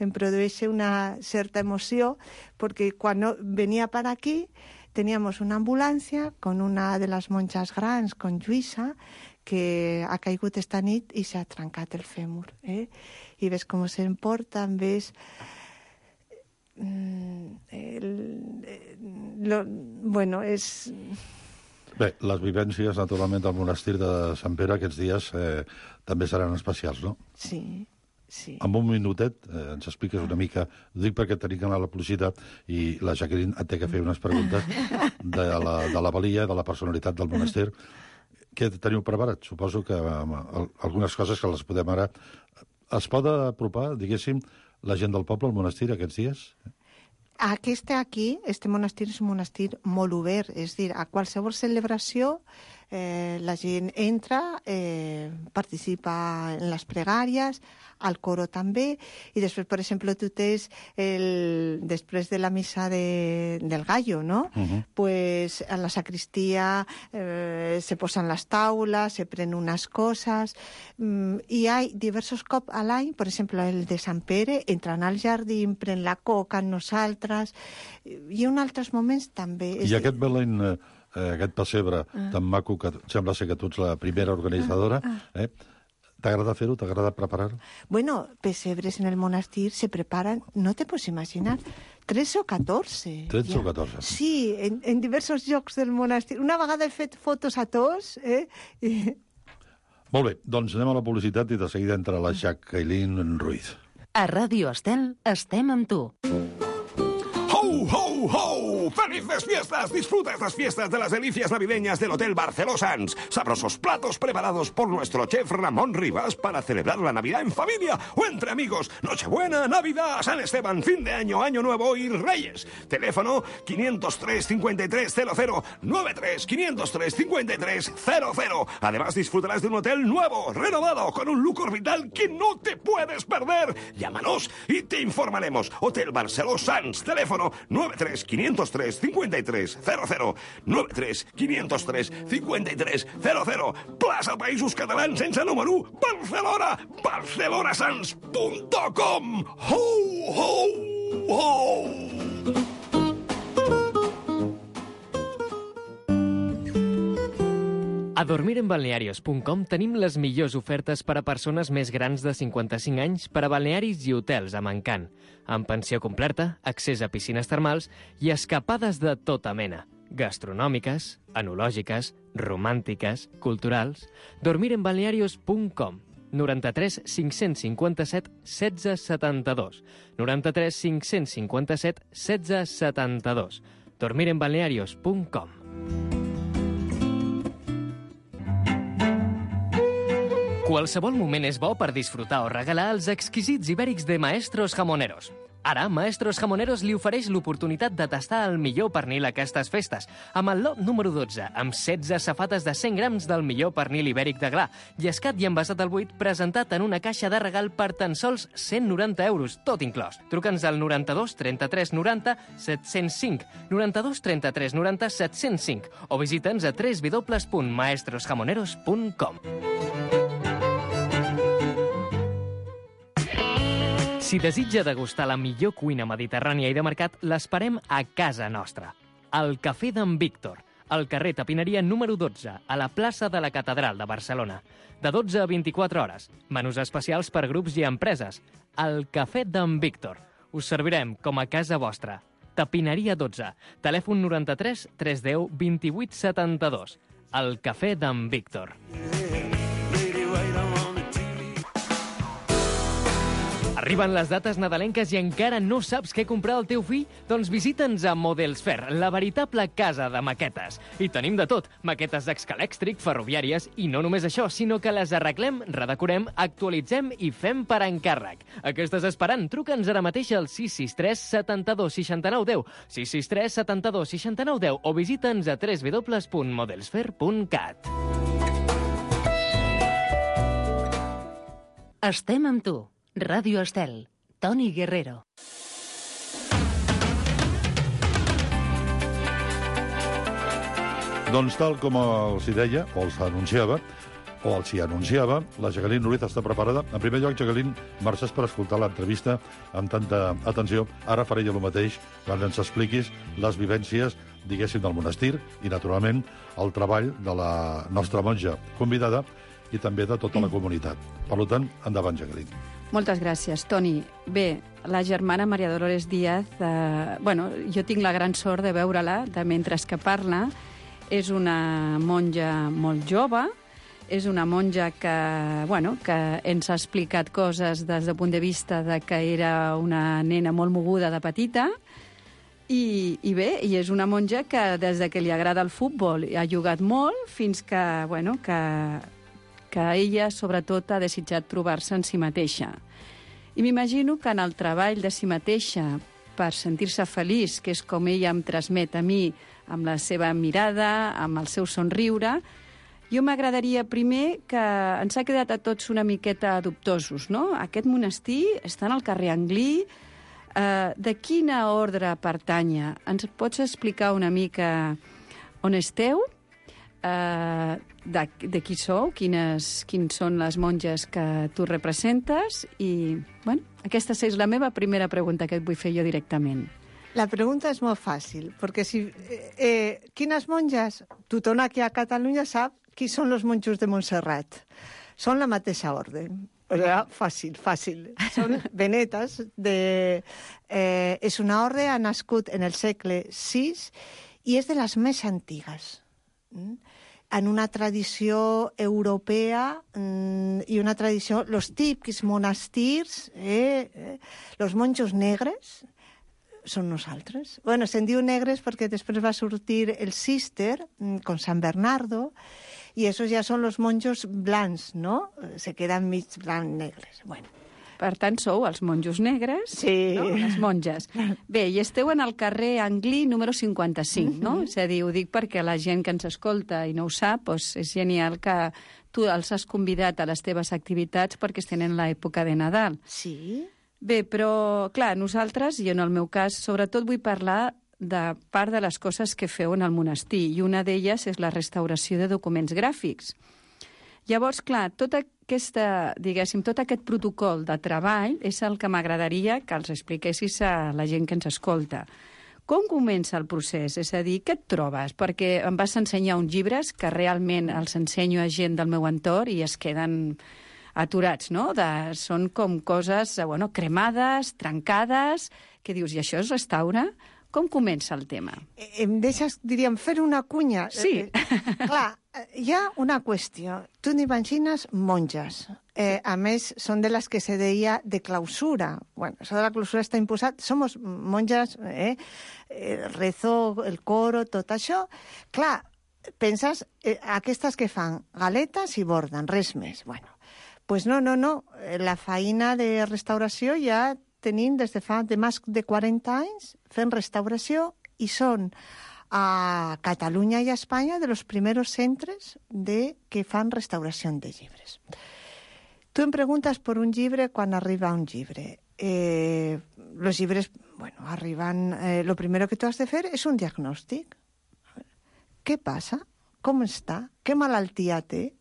em produeix una certa emoció perquè quan venia per aquí teníamos una ambulància con una de les monges grans, con Lluïsa, que ha caigut esta nit i s'ha trencat el fèmur. Eh? I ves com s'emporten, ves... El, lo, bueno, és... Bé, les vivències, naturalment, del monestir de Sant Pere aquests dies eh, també seran especials, no? Sí, sí. En un minutet eh, ens expliques una mica, ho dic perquè tenim que anar a la publicitat i la Jacqueline et té que fer unes preguntes de la, de la valia, de la personalitat del monestir. Què teniu preparat? Suposo que eh, algunes coses que les podem ara... Es pot apropar, diguéssim, la gent del poble al monestir aquests dies? Aquest aquí, este monestir és un monestir molt obert, és a dir, a qualsevol celebració eh, la gent entra, eh, participa en les pregàries, al coro també, i després, per exemple, tu tens, el, després de la missa de, del gallo, no? Uh-huh. Pues a la sacristia eh, se posen les taules, se prenen unes coses, mm, i hi ha diversos cops a l'any, per exemple, el de Sant Pere, entren al jardí, pren la coca amb nosaltres, i en altres moments també. I és aquest Belén, eh, aquest pessebre ah. tan maco, que sembla ser que tu ets la primera organitzadora, ah. Ah. eh? T'agrada fer-ho? T'agrada preparar-ho? Bueno, pesebres en el monestir se preparan, no te pots imaginar, trece o catorze. trece ja. o catorze. Sí, en, en diversos llocs del monestir. Una vegada he fet fotos a tots, eh? I... Molt bé, doncs anem a la publicitat i de seguida entra la Jacqueline Ruiz. A Ràdio Estel estem amb tu. ¡Ho, ho, ho! ¡Felices fiestas! Disfruta estas fiestas de las delicias navideñas del Hotel Barceló Sanz. Sabrosos platos preparados por nuestro chef Ramón Rivas para celebrar la Navidad en familia o entre amigos. Nochebuena, Navidad, San Esteban, fin de año, Año Nuevo y Reyes. Teléfono quinientos tres cincuenta y tres cero cero noventa y tres quinientos tres cincuenta y tres cero cero. Además disfrutarás de un hotel nuevo, renovado, con un look orbital que no te puedes perder. Llámanos y te informaremos. Hotel Barceló Sanz. Teléfono nueve tres quinientos tres cincuenta y tres cero cero. nueve tres quinientos tres cincuenta y tres cero cero. Plaça Països Catalans sense número. Barcelona. barcelonasans punt com. Ho, ho, ho! A dormir en balnearios punt com tenim les millors ofertes per a persones més grans de cinquanta-cinc anys per a balnearis i hotels amb encant, amb pensió completa, accés a piscines termals i escapades de tota mena, gastronòmiques, enològiques, romàntiques, culturals. dormir en balnearios punt com. noranta-tres cinc-cents cinquanta-set setze setanta-dos. noranta-tres cinc-cents cinquanta-set setze setanta-dos. dormir en balnearios punt com. Qualsevol moment és bo per disfrutar o regalar els exquisits ibèrics de Maestros Jamoneros. Ara, Maestros Jamoneros li ofereix l'oportunitat de tastar el millor pernil a aquestes festes, amb el lot número dotze, amb setze safates de cent grams del millor pernil ibèric de gra, llescat i envasat al buit, presentat en una caixa de regal per tan sols cent noranta euros, tot inclòs. Truca'ns al noranta-dos trenta-tres noranta set-cents cinc, noranta-dos trenta-tres noranta set-cents cinc, o visita'ns a w w w punt maestros jamoneros punt com. Si desitja degustar la millor cuina mediterrània i de mercat, l'esperem a casa nostra. Al Cafè d'en Víctor, al carrer Tapineria número dotze, a la plaça de la Catedral de Barcelona. De dotze a vint-i-quatre hores. Menús especials per grups i empreses. Al Cafè d'en Víctor. Us servirem com a casa vostra. Tapineria dotze. Telèfon noranta-tres tres deu vint-i-vuit setanta-dos. El cafè d'en Víctor. Arriben les dates nadalenques i encara no saps què comprar al teu fill? Doncs visita'ns a Models Fair, la veritable casa de maquetes. I tenim de tot, maquetes d'Excalèxtric, ferroviàries, i no només això, sinó que les arreglem, redecorem, actualitzem i fem per encàrrec. A què estàs esperant? Truca'ns ara mateix al sis sis tres setanta-dos seixanta-nou deu, sis sis tres setanta-dos seixanta-nou deu o visita'ns a w w w punt modelsfair punt cat. Estem amb tu. Ràdio Estel, Toni Guerrero. Doncs tal com els hi deia, o els anunciava, o els hi anunciava, la Jacqueline Núriz està preparada. En primer lloc, Jacqueline, marxes per escoltar l'entrevista amb tanta atenció. Ara faré jo el mateix quan ens expliquis les vivències, diguéssim, del monestir i, naturalment, el treball de la nostra monja convidada i també de tota la comunitat. Per tant, endavant, Jacqueline. Moltes gràcies, Toni. Bé, la germana Maria Dolores Díaz, eh, bueno, jo tinc la gran sort de veure-la de mentre que parla. És una monja molt jove, és una monja que, bueno, que ens ha explicat coses des del punt de vista de que era una nena molt moguda de petita, i, i bé, i és una monja que des de que li agrada el futbol ha jugat molt fins que, bueno, que... que ella, sobretot, ha desitjat trobar-se en si mateixa. I m'imagino que en el treball de si mateixa, per sentir-se feliç, que és com ella em transmet a mi, amb la seva mirada, amb el seu somriure, jo m'agradaria primer que ens ha quedat a tots una miqueta dubtosos, no? Aquest monestir està en el carrer Anglí. Eh, de quina ordre pertanya? Ens pots explicar una mica on esteu? Uh, de, de qui sou, quines, quins són les monges que tu representes i, bueno, aquesta és la meva primera pregunta que et vull fer jo directament. La pregunta és molt fàcil, perquè si... Eh, eh, quines monges? Tothom aquí a Catalunya sap qui són els monjos de Montserrat. Són la mateixa ordre. O sigui, fàcil, fàcil. Són benetes. De, eh, és una ordre, ha nascut en el segle sis i és de les més antigues. En una tradició europea mm, i una tradició... Los típics monestirs, eh, eh, los monjos negres, són nosaltres. Bueno, se'n diu negres perquè després va sortir el Cister, con San Bernardo, i esos ja són los monjos blancs, ¿no? Se quedan mig blancs negres. Bueno. Per tant, sou els monjos negres, sí. No? Les monges. Bé, i esteu en el carrer Anglí número cinquanta-cinc, no? Mm-hmm. És a dir, ho dic perquè la gent que ens escolta i no ho sap, doncs és genial que tu els has convidat a les teves activitats perquè estan en l'època de Nadal. Sí. Bé, però, clar, nosaltres, i en el meu cas, sobretot vull parlar de part de les coses que feu en el monestir, i una d'elles és la restauració de documents gràfics. Llavors, clar, tota aquesta, diguéssim, tot aquest protocol de treball és el que m'agradaria que els expliquessis a la gent que ens escolta. Com comença el procés? És a dir, què et trobes? Perquè em vas ensenyar uns llibres que realment els ensenyo a gent del meu entorn i es queden aturats, no? De, són com coses, bueno, cremades, trencades, que dius, i això es restaura? Com comença el tema? Em deixes, diríem, fer una cunya? Sí. Eh, clar, hi ha una qüestió. Tu n'imagines monges. Eh, a més, són de les que se deia de clausura. Bueno, això de la clausura està imposat. Somos monges, eh? eh rezo, el coro, tot això. Clar, penses, eh, aquestes que fan galetes i borden, res més. Bueno, pues no, no, no. La feina de restauració ja tenim des de fa de més de quaranta anys fent restauració i són a Catalunya i a Espanya de los primeros centres de que fan restauració de llibres. Tu em preguntes per un llibre quan arriba un llibre. Eh, los llibres, bueno, arriban... Eh, lo primero que tu has de fer és un diagnòstic. Què passa? Com està? Què malaltia té?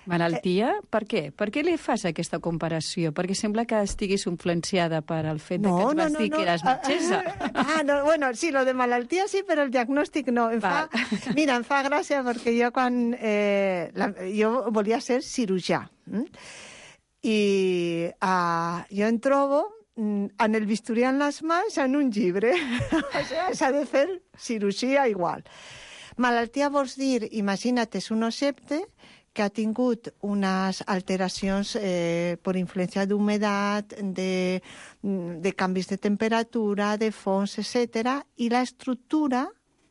Malaltia? Per què? Per què li fas aquesta comparació? Perquè sembla que estiguis influenciada per el fet no, de que et vas no, no, dir no. que eres metgessa. Ah, no, bueno, sí, lo de malaltia sí, però el diagnòstic no. Em fa, mira, em fa gràcia perquè jo quan... Eh, la, jo volia ser cirurgià. Mm? I uh, jo em trobo en el bisturí en les mans en un llibre. O sigui, s'ha de fer cirurgia igual. Malaltia vols dir, imagina't, és un occepte que ha tingut unes alteracions eh, per influència d'humedat, de, de canvis de temperatura, de fons, etcètera, i l'estructura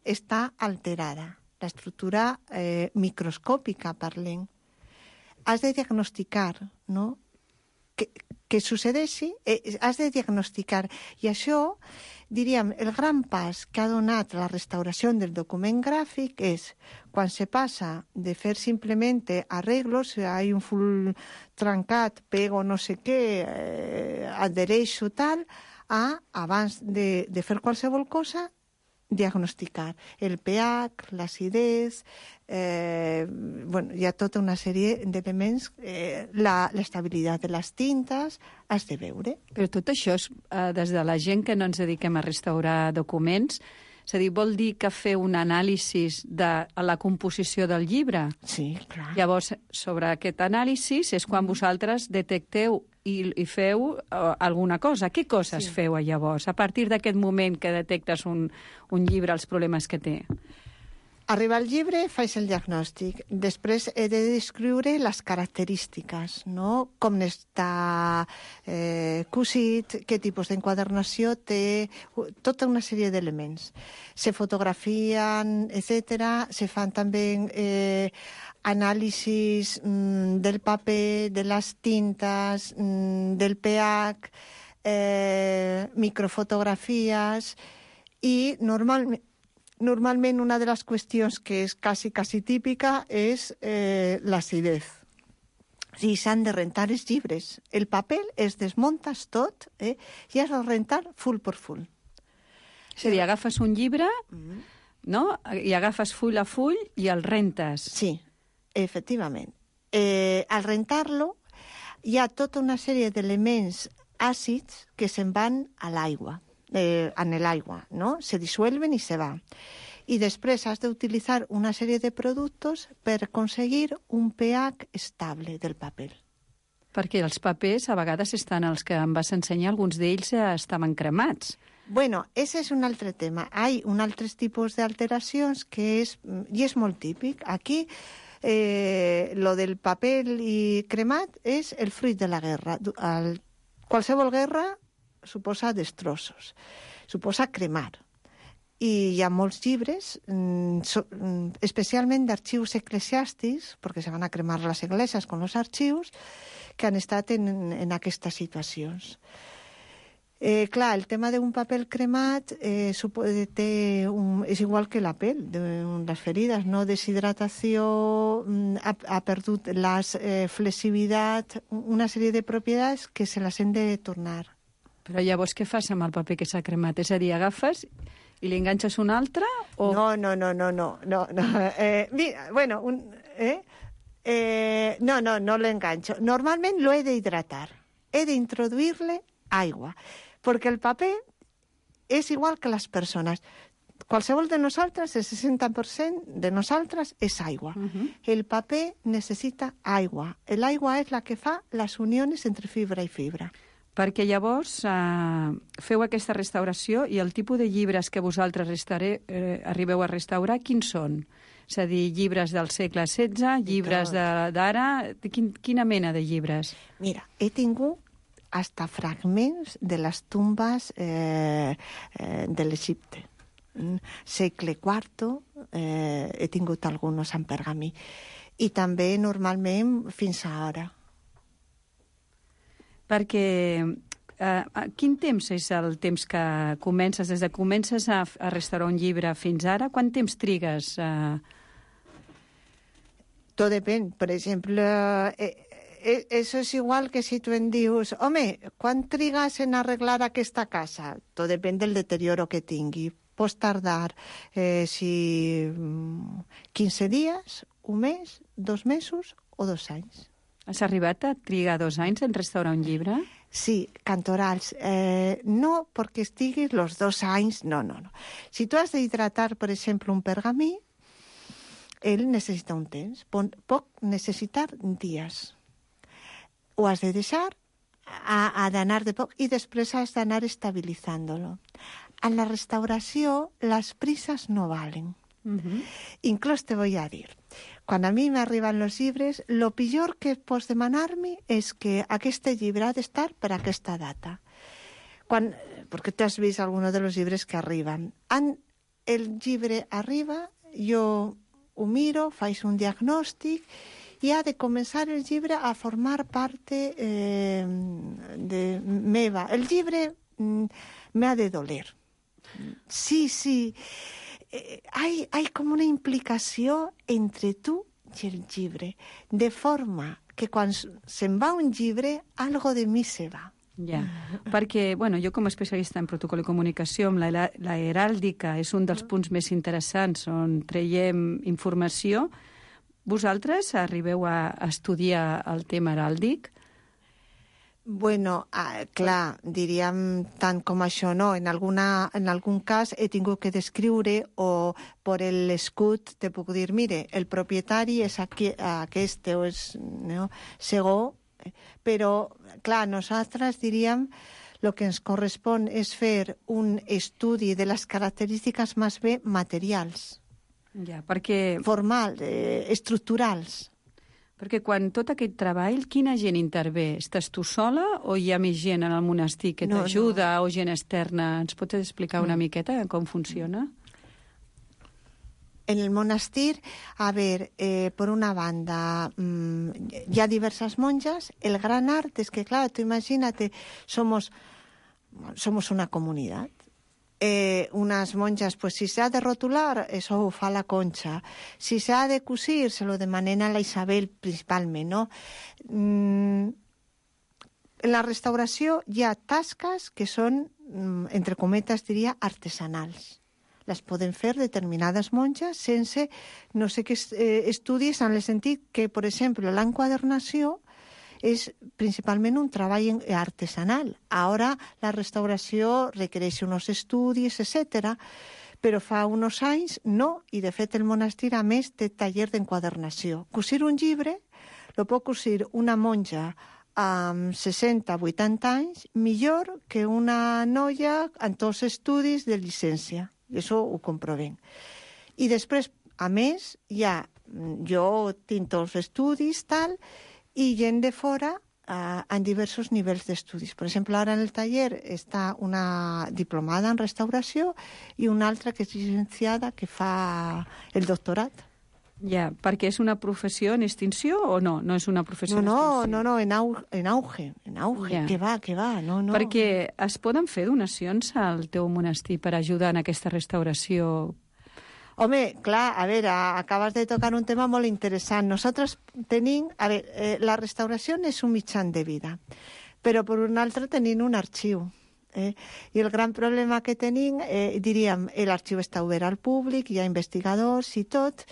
està alterada. L'estructura eh, microscòpica, parlem. Has de diagnosticar, no?, que, que succeeixi, eh, has de diagnosticar. I això, diríem, el gran pas que ha donat la restauració del document gràfic és quan se passa de fer simplement arreglos, si hi ha un full trencat, pego no sé què, eh, adhereixo tal, a, abans de, de fer qualsevol cosa, diagnosticar el pH, l'acidez, eh, bueno, hi ha tota una sèrie d'elements, eh, l'estabilitat de les tintes, has de veure. Però tot això, és, eh, des de la gent que no ens dediquem a restaurar documents, és a dir, vol dir que fer un anàlisi de la composició del llibre? Sí, clar. Llavors, sobre aquest anàlisi és quan vosaltres detecteu i, i feu uh, alguna cosa. Què coses sí. feu llavors, a partir d'aquest moment que detectes un, un llibre, els problemes que té? Arriba al llibre, faig el diagnòstic. Després he de descriure les característiques, no? Com està eh, cosit, què tipus d'enquadernació té, tota una sèrie d'elements. Se fotografien, etcètera. Se fan també eh, anàlisis mm, del paper, de les tintes, mm, del pH, eh, microfotografies i normalment Normalment una de les qüestions que és quasi, quasi típica és eh, l'acidez. O sigui, s'han de rentar els llibres. El paper es desmuntes tot eh, i has de rentar full per full. És a dir, agafes un llibre, mm. no? I agafes full a full i el rentes. Sí, efectivament. Eh, al rentar-lo hi ha tota una sèrie d'elements àcids que se'n van a l'aigua. Eh, en l'aigua, no? Se disuelven i se va. I després has d'utilitzar una sèrie de productes per aconseguir un pH estable del paper. Perquè els papers a vegades estan, els que em vas ensenyar, alguns d'ells estaven cremats. Bueno, ese és un altre tema. Hi ha un altre tipus d'alteracions que és, i és molt típic. Aquí, eh, lo del paper i cremat és el fruit de la guerra. El, qualsevol guerra suposa destrossos, suposa cremar. I hi ha molts llibres, especialment d'arxius eclesiàstics, perquè se van a cremar les esglésies amb els arxius, que han estat en, en aquestes situacions. Eh, clar, el tema d'un paper cremat eh, té un, és igual que la pell, de les ferides, no? Deshidratació, ha, ha perdut la eh, flexibilitat, una sèrie de propietats que se les hem de tornar. Però llavors què fas amb el paper que s'ha cremat? És a dir, agafes i li enganxes un altre? O... No, no, no, no, no. no, no. Eh, mira, bueno, un, eh? Eh, no, no, no l'enganxo. Normalment lo he d'hidratar. He d'introduir-le aigua, perquè el paper és igual que les persones. Qualsevol de nosaltres, el seixanta per cent de nosaltres és aigua. Uh -huh. El paper necessita aigua. L'aigua és la que fa les unions entre fibra i fibra. Perquè llavors eh, feu aquesta restauració i el tipus de llibres que vosaltres restauré, eh, arribeu a restaurar, quins són? És a dir, llibres del segle setze, llibres d'ara... Quin, quina mena de llibres? Mira, he tingut hasta fragments de les tombes eh, eh, de l'Egipte. Segle quarto, eh, he tingut alguns en pergamí. I també, normalment, fins a ara. Perquè eh, quin temps és el temps que comences, des de comences a, a restaurar un llibre fins ara? Quant temps trigues? Eh... Tot depèn. Per exemple, eh, eh, eso es igual que si tu em dius, home, quan trigues en arreglar aquesta casa? Tot depèn del deterioro que tingui. Pots tardar eh, si quinze dies, un mes, dos mesos o dos anys. Has arribat a trigar dos anys en restaurar un llibre? Sí, cantorals. Eh, no perquè estiguis els dos anys, no, no, no. Si tu has d'hidratar, per exemple, un pergamí, ell necessita un temps, pot necessitar dies. Ho has de deixar ha, ha d'anar de poc i després has d'anar estabilitzant-lo. En la restauració, les prises no valen. Uh-huh. Inclús te voy a dir, quan a mi m'arriben els llibres, lo pitjor que pots demanar-me és que aquest llibre ha d'estar per aquesta data. Quan, perquè tu has vist alguns dels llibres que arriben. En el llibre arriba, jo ho miro, faig un diagnòstic i ha de començar el llibre a formar part eh, de meva. El llibre mm, m'ha de doler. Sí, sí. Eh, hay, hay com una implicació entre tu i el llibre, de forma que quan se'n va un llibre, algo de mi se va. Ja, perquè, bueno, jo com a especialista en protocol i comunicació, amb la, la heràldica és un dels punts més interessants on traiem informació. Vosaltres arribeu a estudiar el tema heràldic? Bueno, ah, clar, diríem tant com això, no? En, alguna, en algun cas he tingut que descriure o per l'escut te puc dir, mire, el propietari és aquí, aquest o és no? Segó, però, clar, nosaltres diríem el que ens correspon és fer un estudi de les característiques més bé materials. Ja, perquè... Formal, eh, estructurals. Perquè quan tot aquest treball, quina gent intervé? Estàs tu sola o hi ha més gent en el monestir que t'ajuda no, no. o gent externa? Ens pots explicar una mm. miqueta com funciona? En el monestir, a ver, eh, por una banda, mmm, hi ha diversas monjas. El gran art es que, claro, tú imagínate, somos, somos una comunidad. Eh, unas monjas, pues si se ha de rotular, eso ho fa la Concha. Si se ha de cosir, se lo demanen a la Isabel principalment, no? Mm, en la restauració hi ha tasques que són, mm, entre cometes, diria, artesanals. Les poden fer determinades monges sense no sé què eh, estudis, en el sentit que, per exemple, l'enquadernació és principalment un treball artesanal. Ara la restauració requereix uns estudis, etcètera, però fa uns anys no, i de fet el monestir a més té taller d'enquadernació. Cosir un llibre lo pot cosir una monja amb seixanta a vuitanta anys millor que una noia amb tots els estudis de llicència. I això ho comprovem. I després, a més, ja, jo tinc tots els estudis, tal, i gent de fora eh, en diversos nivells d'estudis. Per exemple, ara en el taller està una diplomada en restauració i una altra que és llicenciada que fa el doctorat. Ja, perquè és una professió en extinció o no? No és una professió no, en extinció? No, no, no, en, au, en auge, en auge, ja. que va, que va. No, no. Perquè es poden fer donacions al teu monestir per ajudar en aquesta restauració? Home, clar, a veure, acabes de tocar un tema molt interessant. Nosaltres tenim... A veure, eh, la restauració és un mitjan de vida, però per un altre tenim un arxiu. Eh? I el gran problema que tenim, eh, diríem, l'arxiu està obert al públic, hi ha investigadors i tot,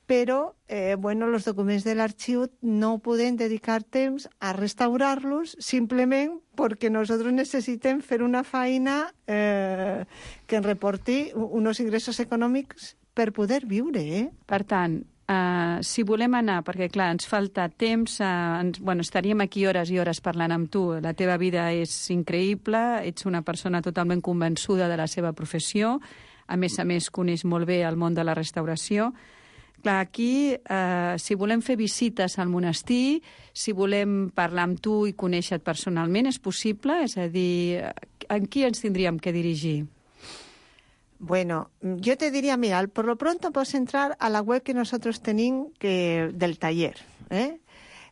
però, eh, bueno, els documents de l'arxiu no podem dedicar temps a restaurar-los simplement perquè nosaltres necessitem fer una feina eh, que ens reporti uns ingressos econòmics per poder viure, eh? Per tant, uh, si volem anar, perquè clar, ens falta temps, uh, ens, bueno, estaríem aquí hores i hores parlant amb tu, la teva vida és increïble, ets una persona totalment convençuda de la seva professió, a més a més coneix molt bé el món de la restauració. Clar, aquí, eh, si volem fer visites al monestir, si volem parlar amb tu i conèixer-te personalment, és possible? És a dir, en qui ens tindríem que dirigir? Bueno, yo te diría, mira, por lo pronto puedes entrar a la web que nosotros tenemos que, del taller, ¿eh?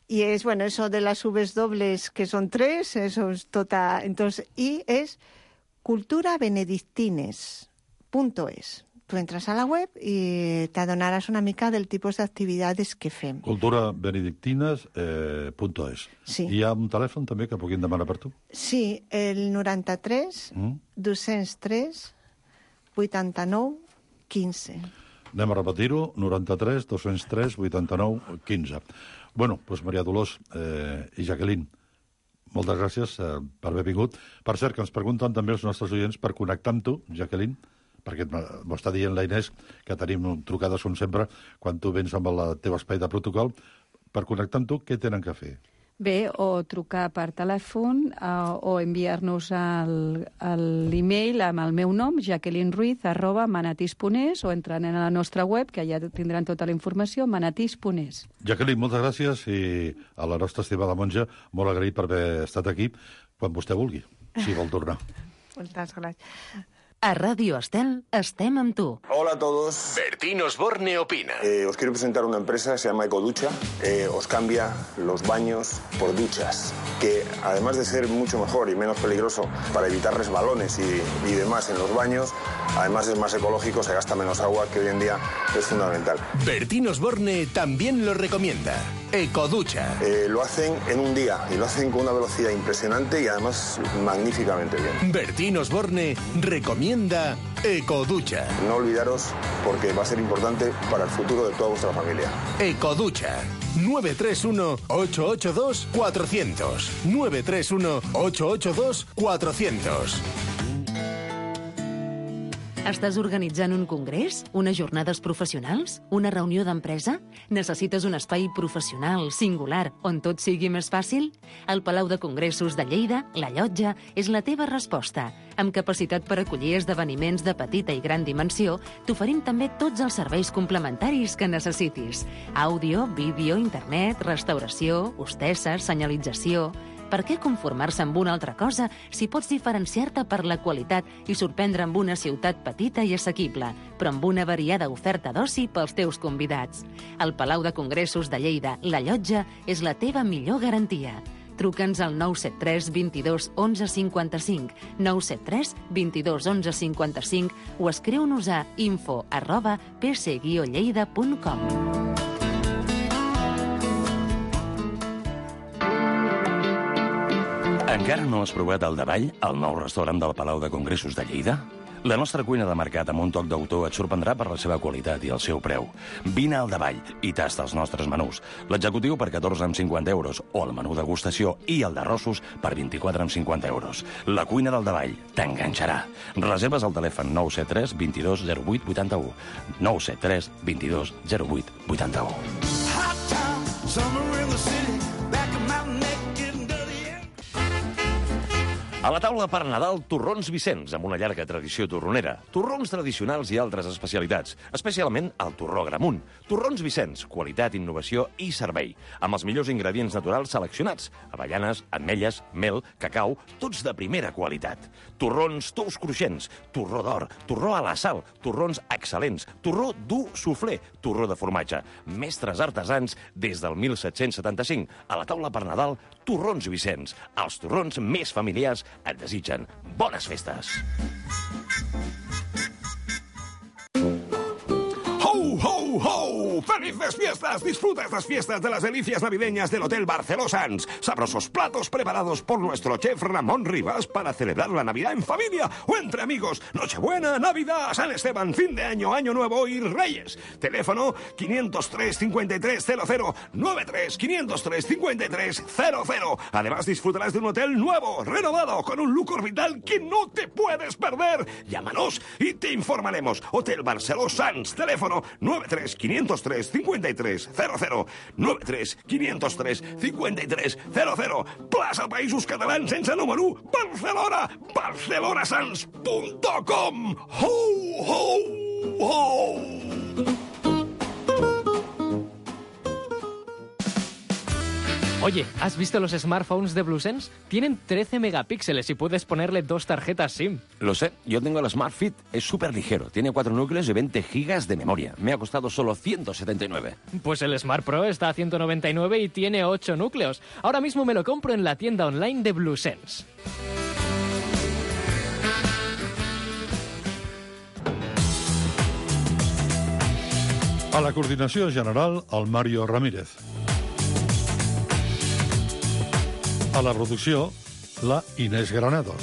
Y es, bueno, eso de las Vs dobles, que son tres, eso es total. Entonces, y es cultura benedictines punto es. Tu entres a la web i t'adonaràs una mica del tipus d'activitats que fem. cultura benedictines punto es. Eh, sí. I hi ha un telèfon també que puguin demanar per tu? Sí, el noranta-tres, mm. dos-cents tres, vuitanta-nou, quinze. Anem a repetir-ho, noranta-tres, dos-cents tres, vuitanta-nou, quinze. Bueno, doncs Maria Dolors eh, i Jacqueline, moltes gràcies eh, per haver vingut. Per cert, que ens pregunten també els nostres oients per connectar amb tu, Jacqueline, perquè m'ho està dient la Inés, que tenim trucades, com sempre, quan tu vens amb el teu espai de protocol. Per connectar amb tu, què tenen que fer? Bé, o trucar per telèfon uh, o enviar-nos l'e-mail amb el meu nom, jacqueline ruiz, arroba manatís punt es, o entrant a la nostra web, que ja tindran tota la informació, manatís punt es. Jacqueline, moltes gràcies, i a la nostra estimada monja, molt agraït per haver estat aquí quan vostè vulgui, si vol tornar. Moltes gràcies. A Radio Estel estem amb tu. Hola a todos. Bertín Osborne opina. Eh, os quiero presentar una empresa, se llama Ecoducha. Eh, os cambia los baños por duchas, que además de ser mucho mejor y menos peligroso para evitar resbalones y, y demás en los baños, además es más ecológico, se gasta menos agua, que hoy en día es fundamental. Bertín Osborne también lo recomienda. Ecoducha. Eh, lo hacen en un día y lo hacen con una velocidad impresionante y además magníficamente bien. Bertín Osborne recomienda Ecoducha. No olvidaros, porque va a ser importante para el futuro de toda vuestra familia. Ecoducha. nueve tres uno, ocho ocho dos, cuatro cero cero. nueve tres uno, ocho ocho dos, cuatro cero cero. Estàs organitzant un congrés? Unes jornades professionals? Una reunió d'empresa? Necessites un espai professional, singular, on tot sigui més fàcil? El Palau de Congressos de Lleida, La Llotja, és la teva resposta. Amb capacitat per acollir esdeveniments de petita i gran dimensió, t'oferim també tots els serveis complementaris que necessitis. Àudio, vídeo, internet, restauració, hostesses, senyalització... Per què conformar-se amb una altra cosa si pots diferenciar-te per la qualitat i sorprendre amb una ciutat petita i assequible, però amb una variada oferta d'oci pels teus convidats? El Palau de Congressos de Lleida, La Llotja, és la teva millor garantia. Truca'ns al nou set tres, vint-i-dos, onze, cinquanta-cinc, nou set tres, vint-i-dos, onze, cinquanta-cinc o escriu-nos a info arroba p c guió lleida punt com. Encara no has provat el Davall, el nou restaurant del Palau de Congressos de Lleida? La nostra cuina de mercat amb un toc d'autor et sorprendrà per la seva qualitat i el seu preu. Vine al Davall i tasta els nostres menús. L'executiu per catorze amb cinquanta euros o el menú degustació i el d'arrossos per vint-i-quatre amb cinquanta euros. La cuina del Davall t'enganxarà. Reserves al telèfon nou set tres, vint-i-dos, zero vuit, vuitanta-u. nou set tres, vint-i-dos, zero vuit, vuitanta-u. A la taula per Nadal, torrons Vicenç, amb una llarga tradició torronera. Torrons tradicionals i altres especialitats, especialment el torró Gramunt. Torrons Vicenç, qualitat, innovació i servei, amb els millors ingredients naturals seleccionats: avellanes, ametlles, mel, cacau, tots de primera qualitat. Torrons tous cruixents, torró d'or, torró a la sal, torrons excel·lents, torró dur suflé, torró de formatge. Mestres artesans des del mil set-cents setanta-cinc. A la taula per Nadal, torrons Vicenç. Els torrons més familiars et desitgen bones festes. ¡Ho, ho, ho! ¡Felices fiestas! Disfruta estas fiestas de las delicias navideñas del Hotel Barceló Sanz. Sabrosos platos preparados por nuestro chef Ramón Rivas para celebrar la Navidad en familia o entre amigos. Nochebuena, Navidad, San Esteban, fin de año, Año Nuevo y Reyes. Teléfono quinientos tres, cincuenta y tres cero cero, noventa y tres, quinientos tres, cincuenta y tres cero cero. Además disfrutarás de un hotel nuevo, renovado, con un look orbital que no te puedes perder. Llámanos y te informaremos. Hotel Barceló Sanz. Teléfono nueve tres, quinientos tres, cincuenta y tres cero cero. nueve tres, quinientos tres, cincuenta y tres cero cero. Plaça Països Catalans sense número. Barcelona. barcelona sans punt com. Ho, ho, ho! Oye, ¿has visto los smartphones de BlueSense? Tienen trece megapíxeles y puedes ponerle dos tarjetas SIM. Lo sé, yo tengo el Smart Fit, es súper ligero, tiene cuatro núcleos y veinte gigas de memoria. Me ha costado solo ciento setenta y nueve. Pues el Smart Pro está a ciento noventa y nueve y tiene ocho núcleos. Ahora mismo me lo compro en la tienda online de BlueSense. A la coordinació general, el Mario Ramírez. A la producció, la Inés Granados.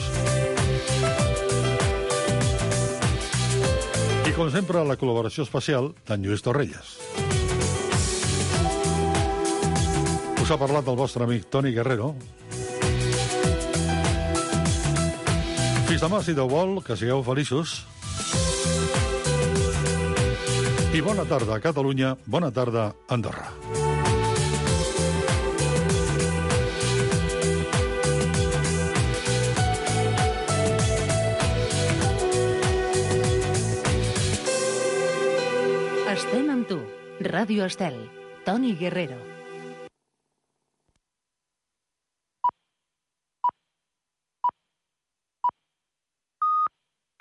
I, com sempre, la col·laboració especial d'en Lluís Torrelles. Us ha parlat el vostre amic Toni Guerrero. Fins demà, si Déu vol, que sigueu feliços. I bona tarda, Catalunya, bona tarda, Andorra. Estem amb tu. Ràdio Estel. Toni Guerrero.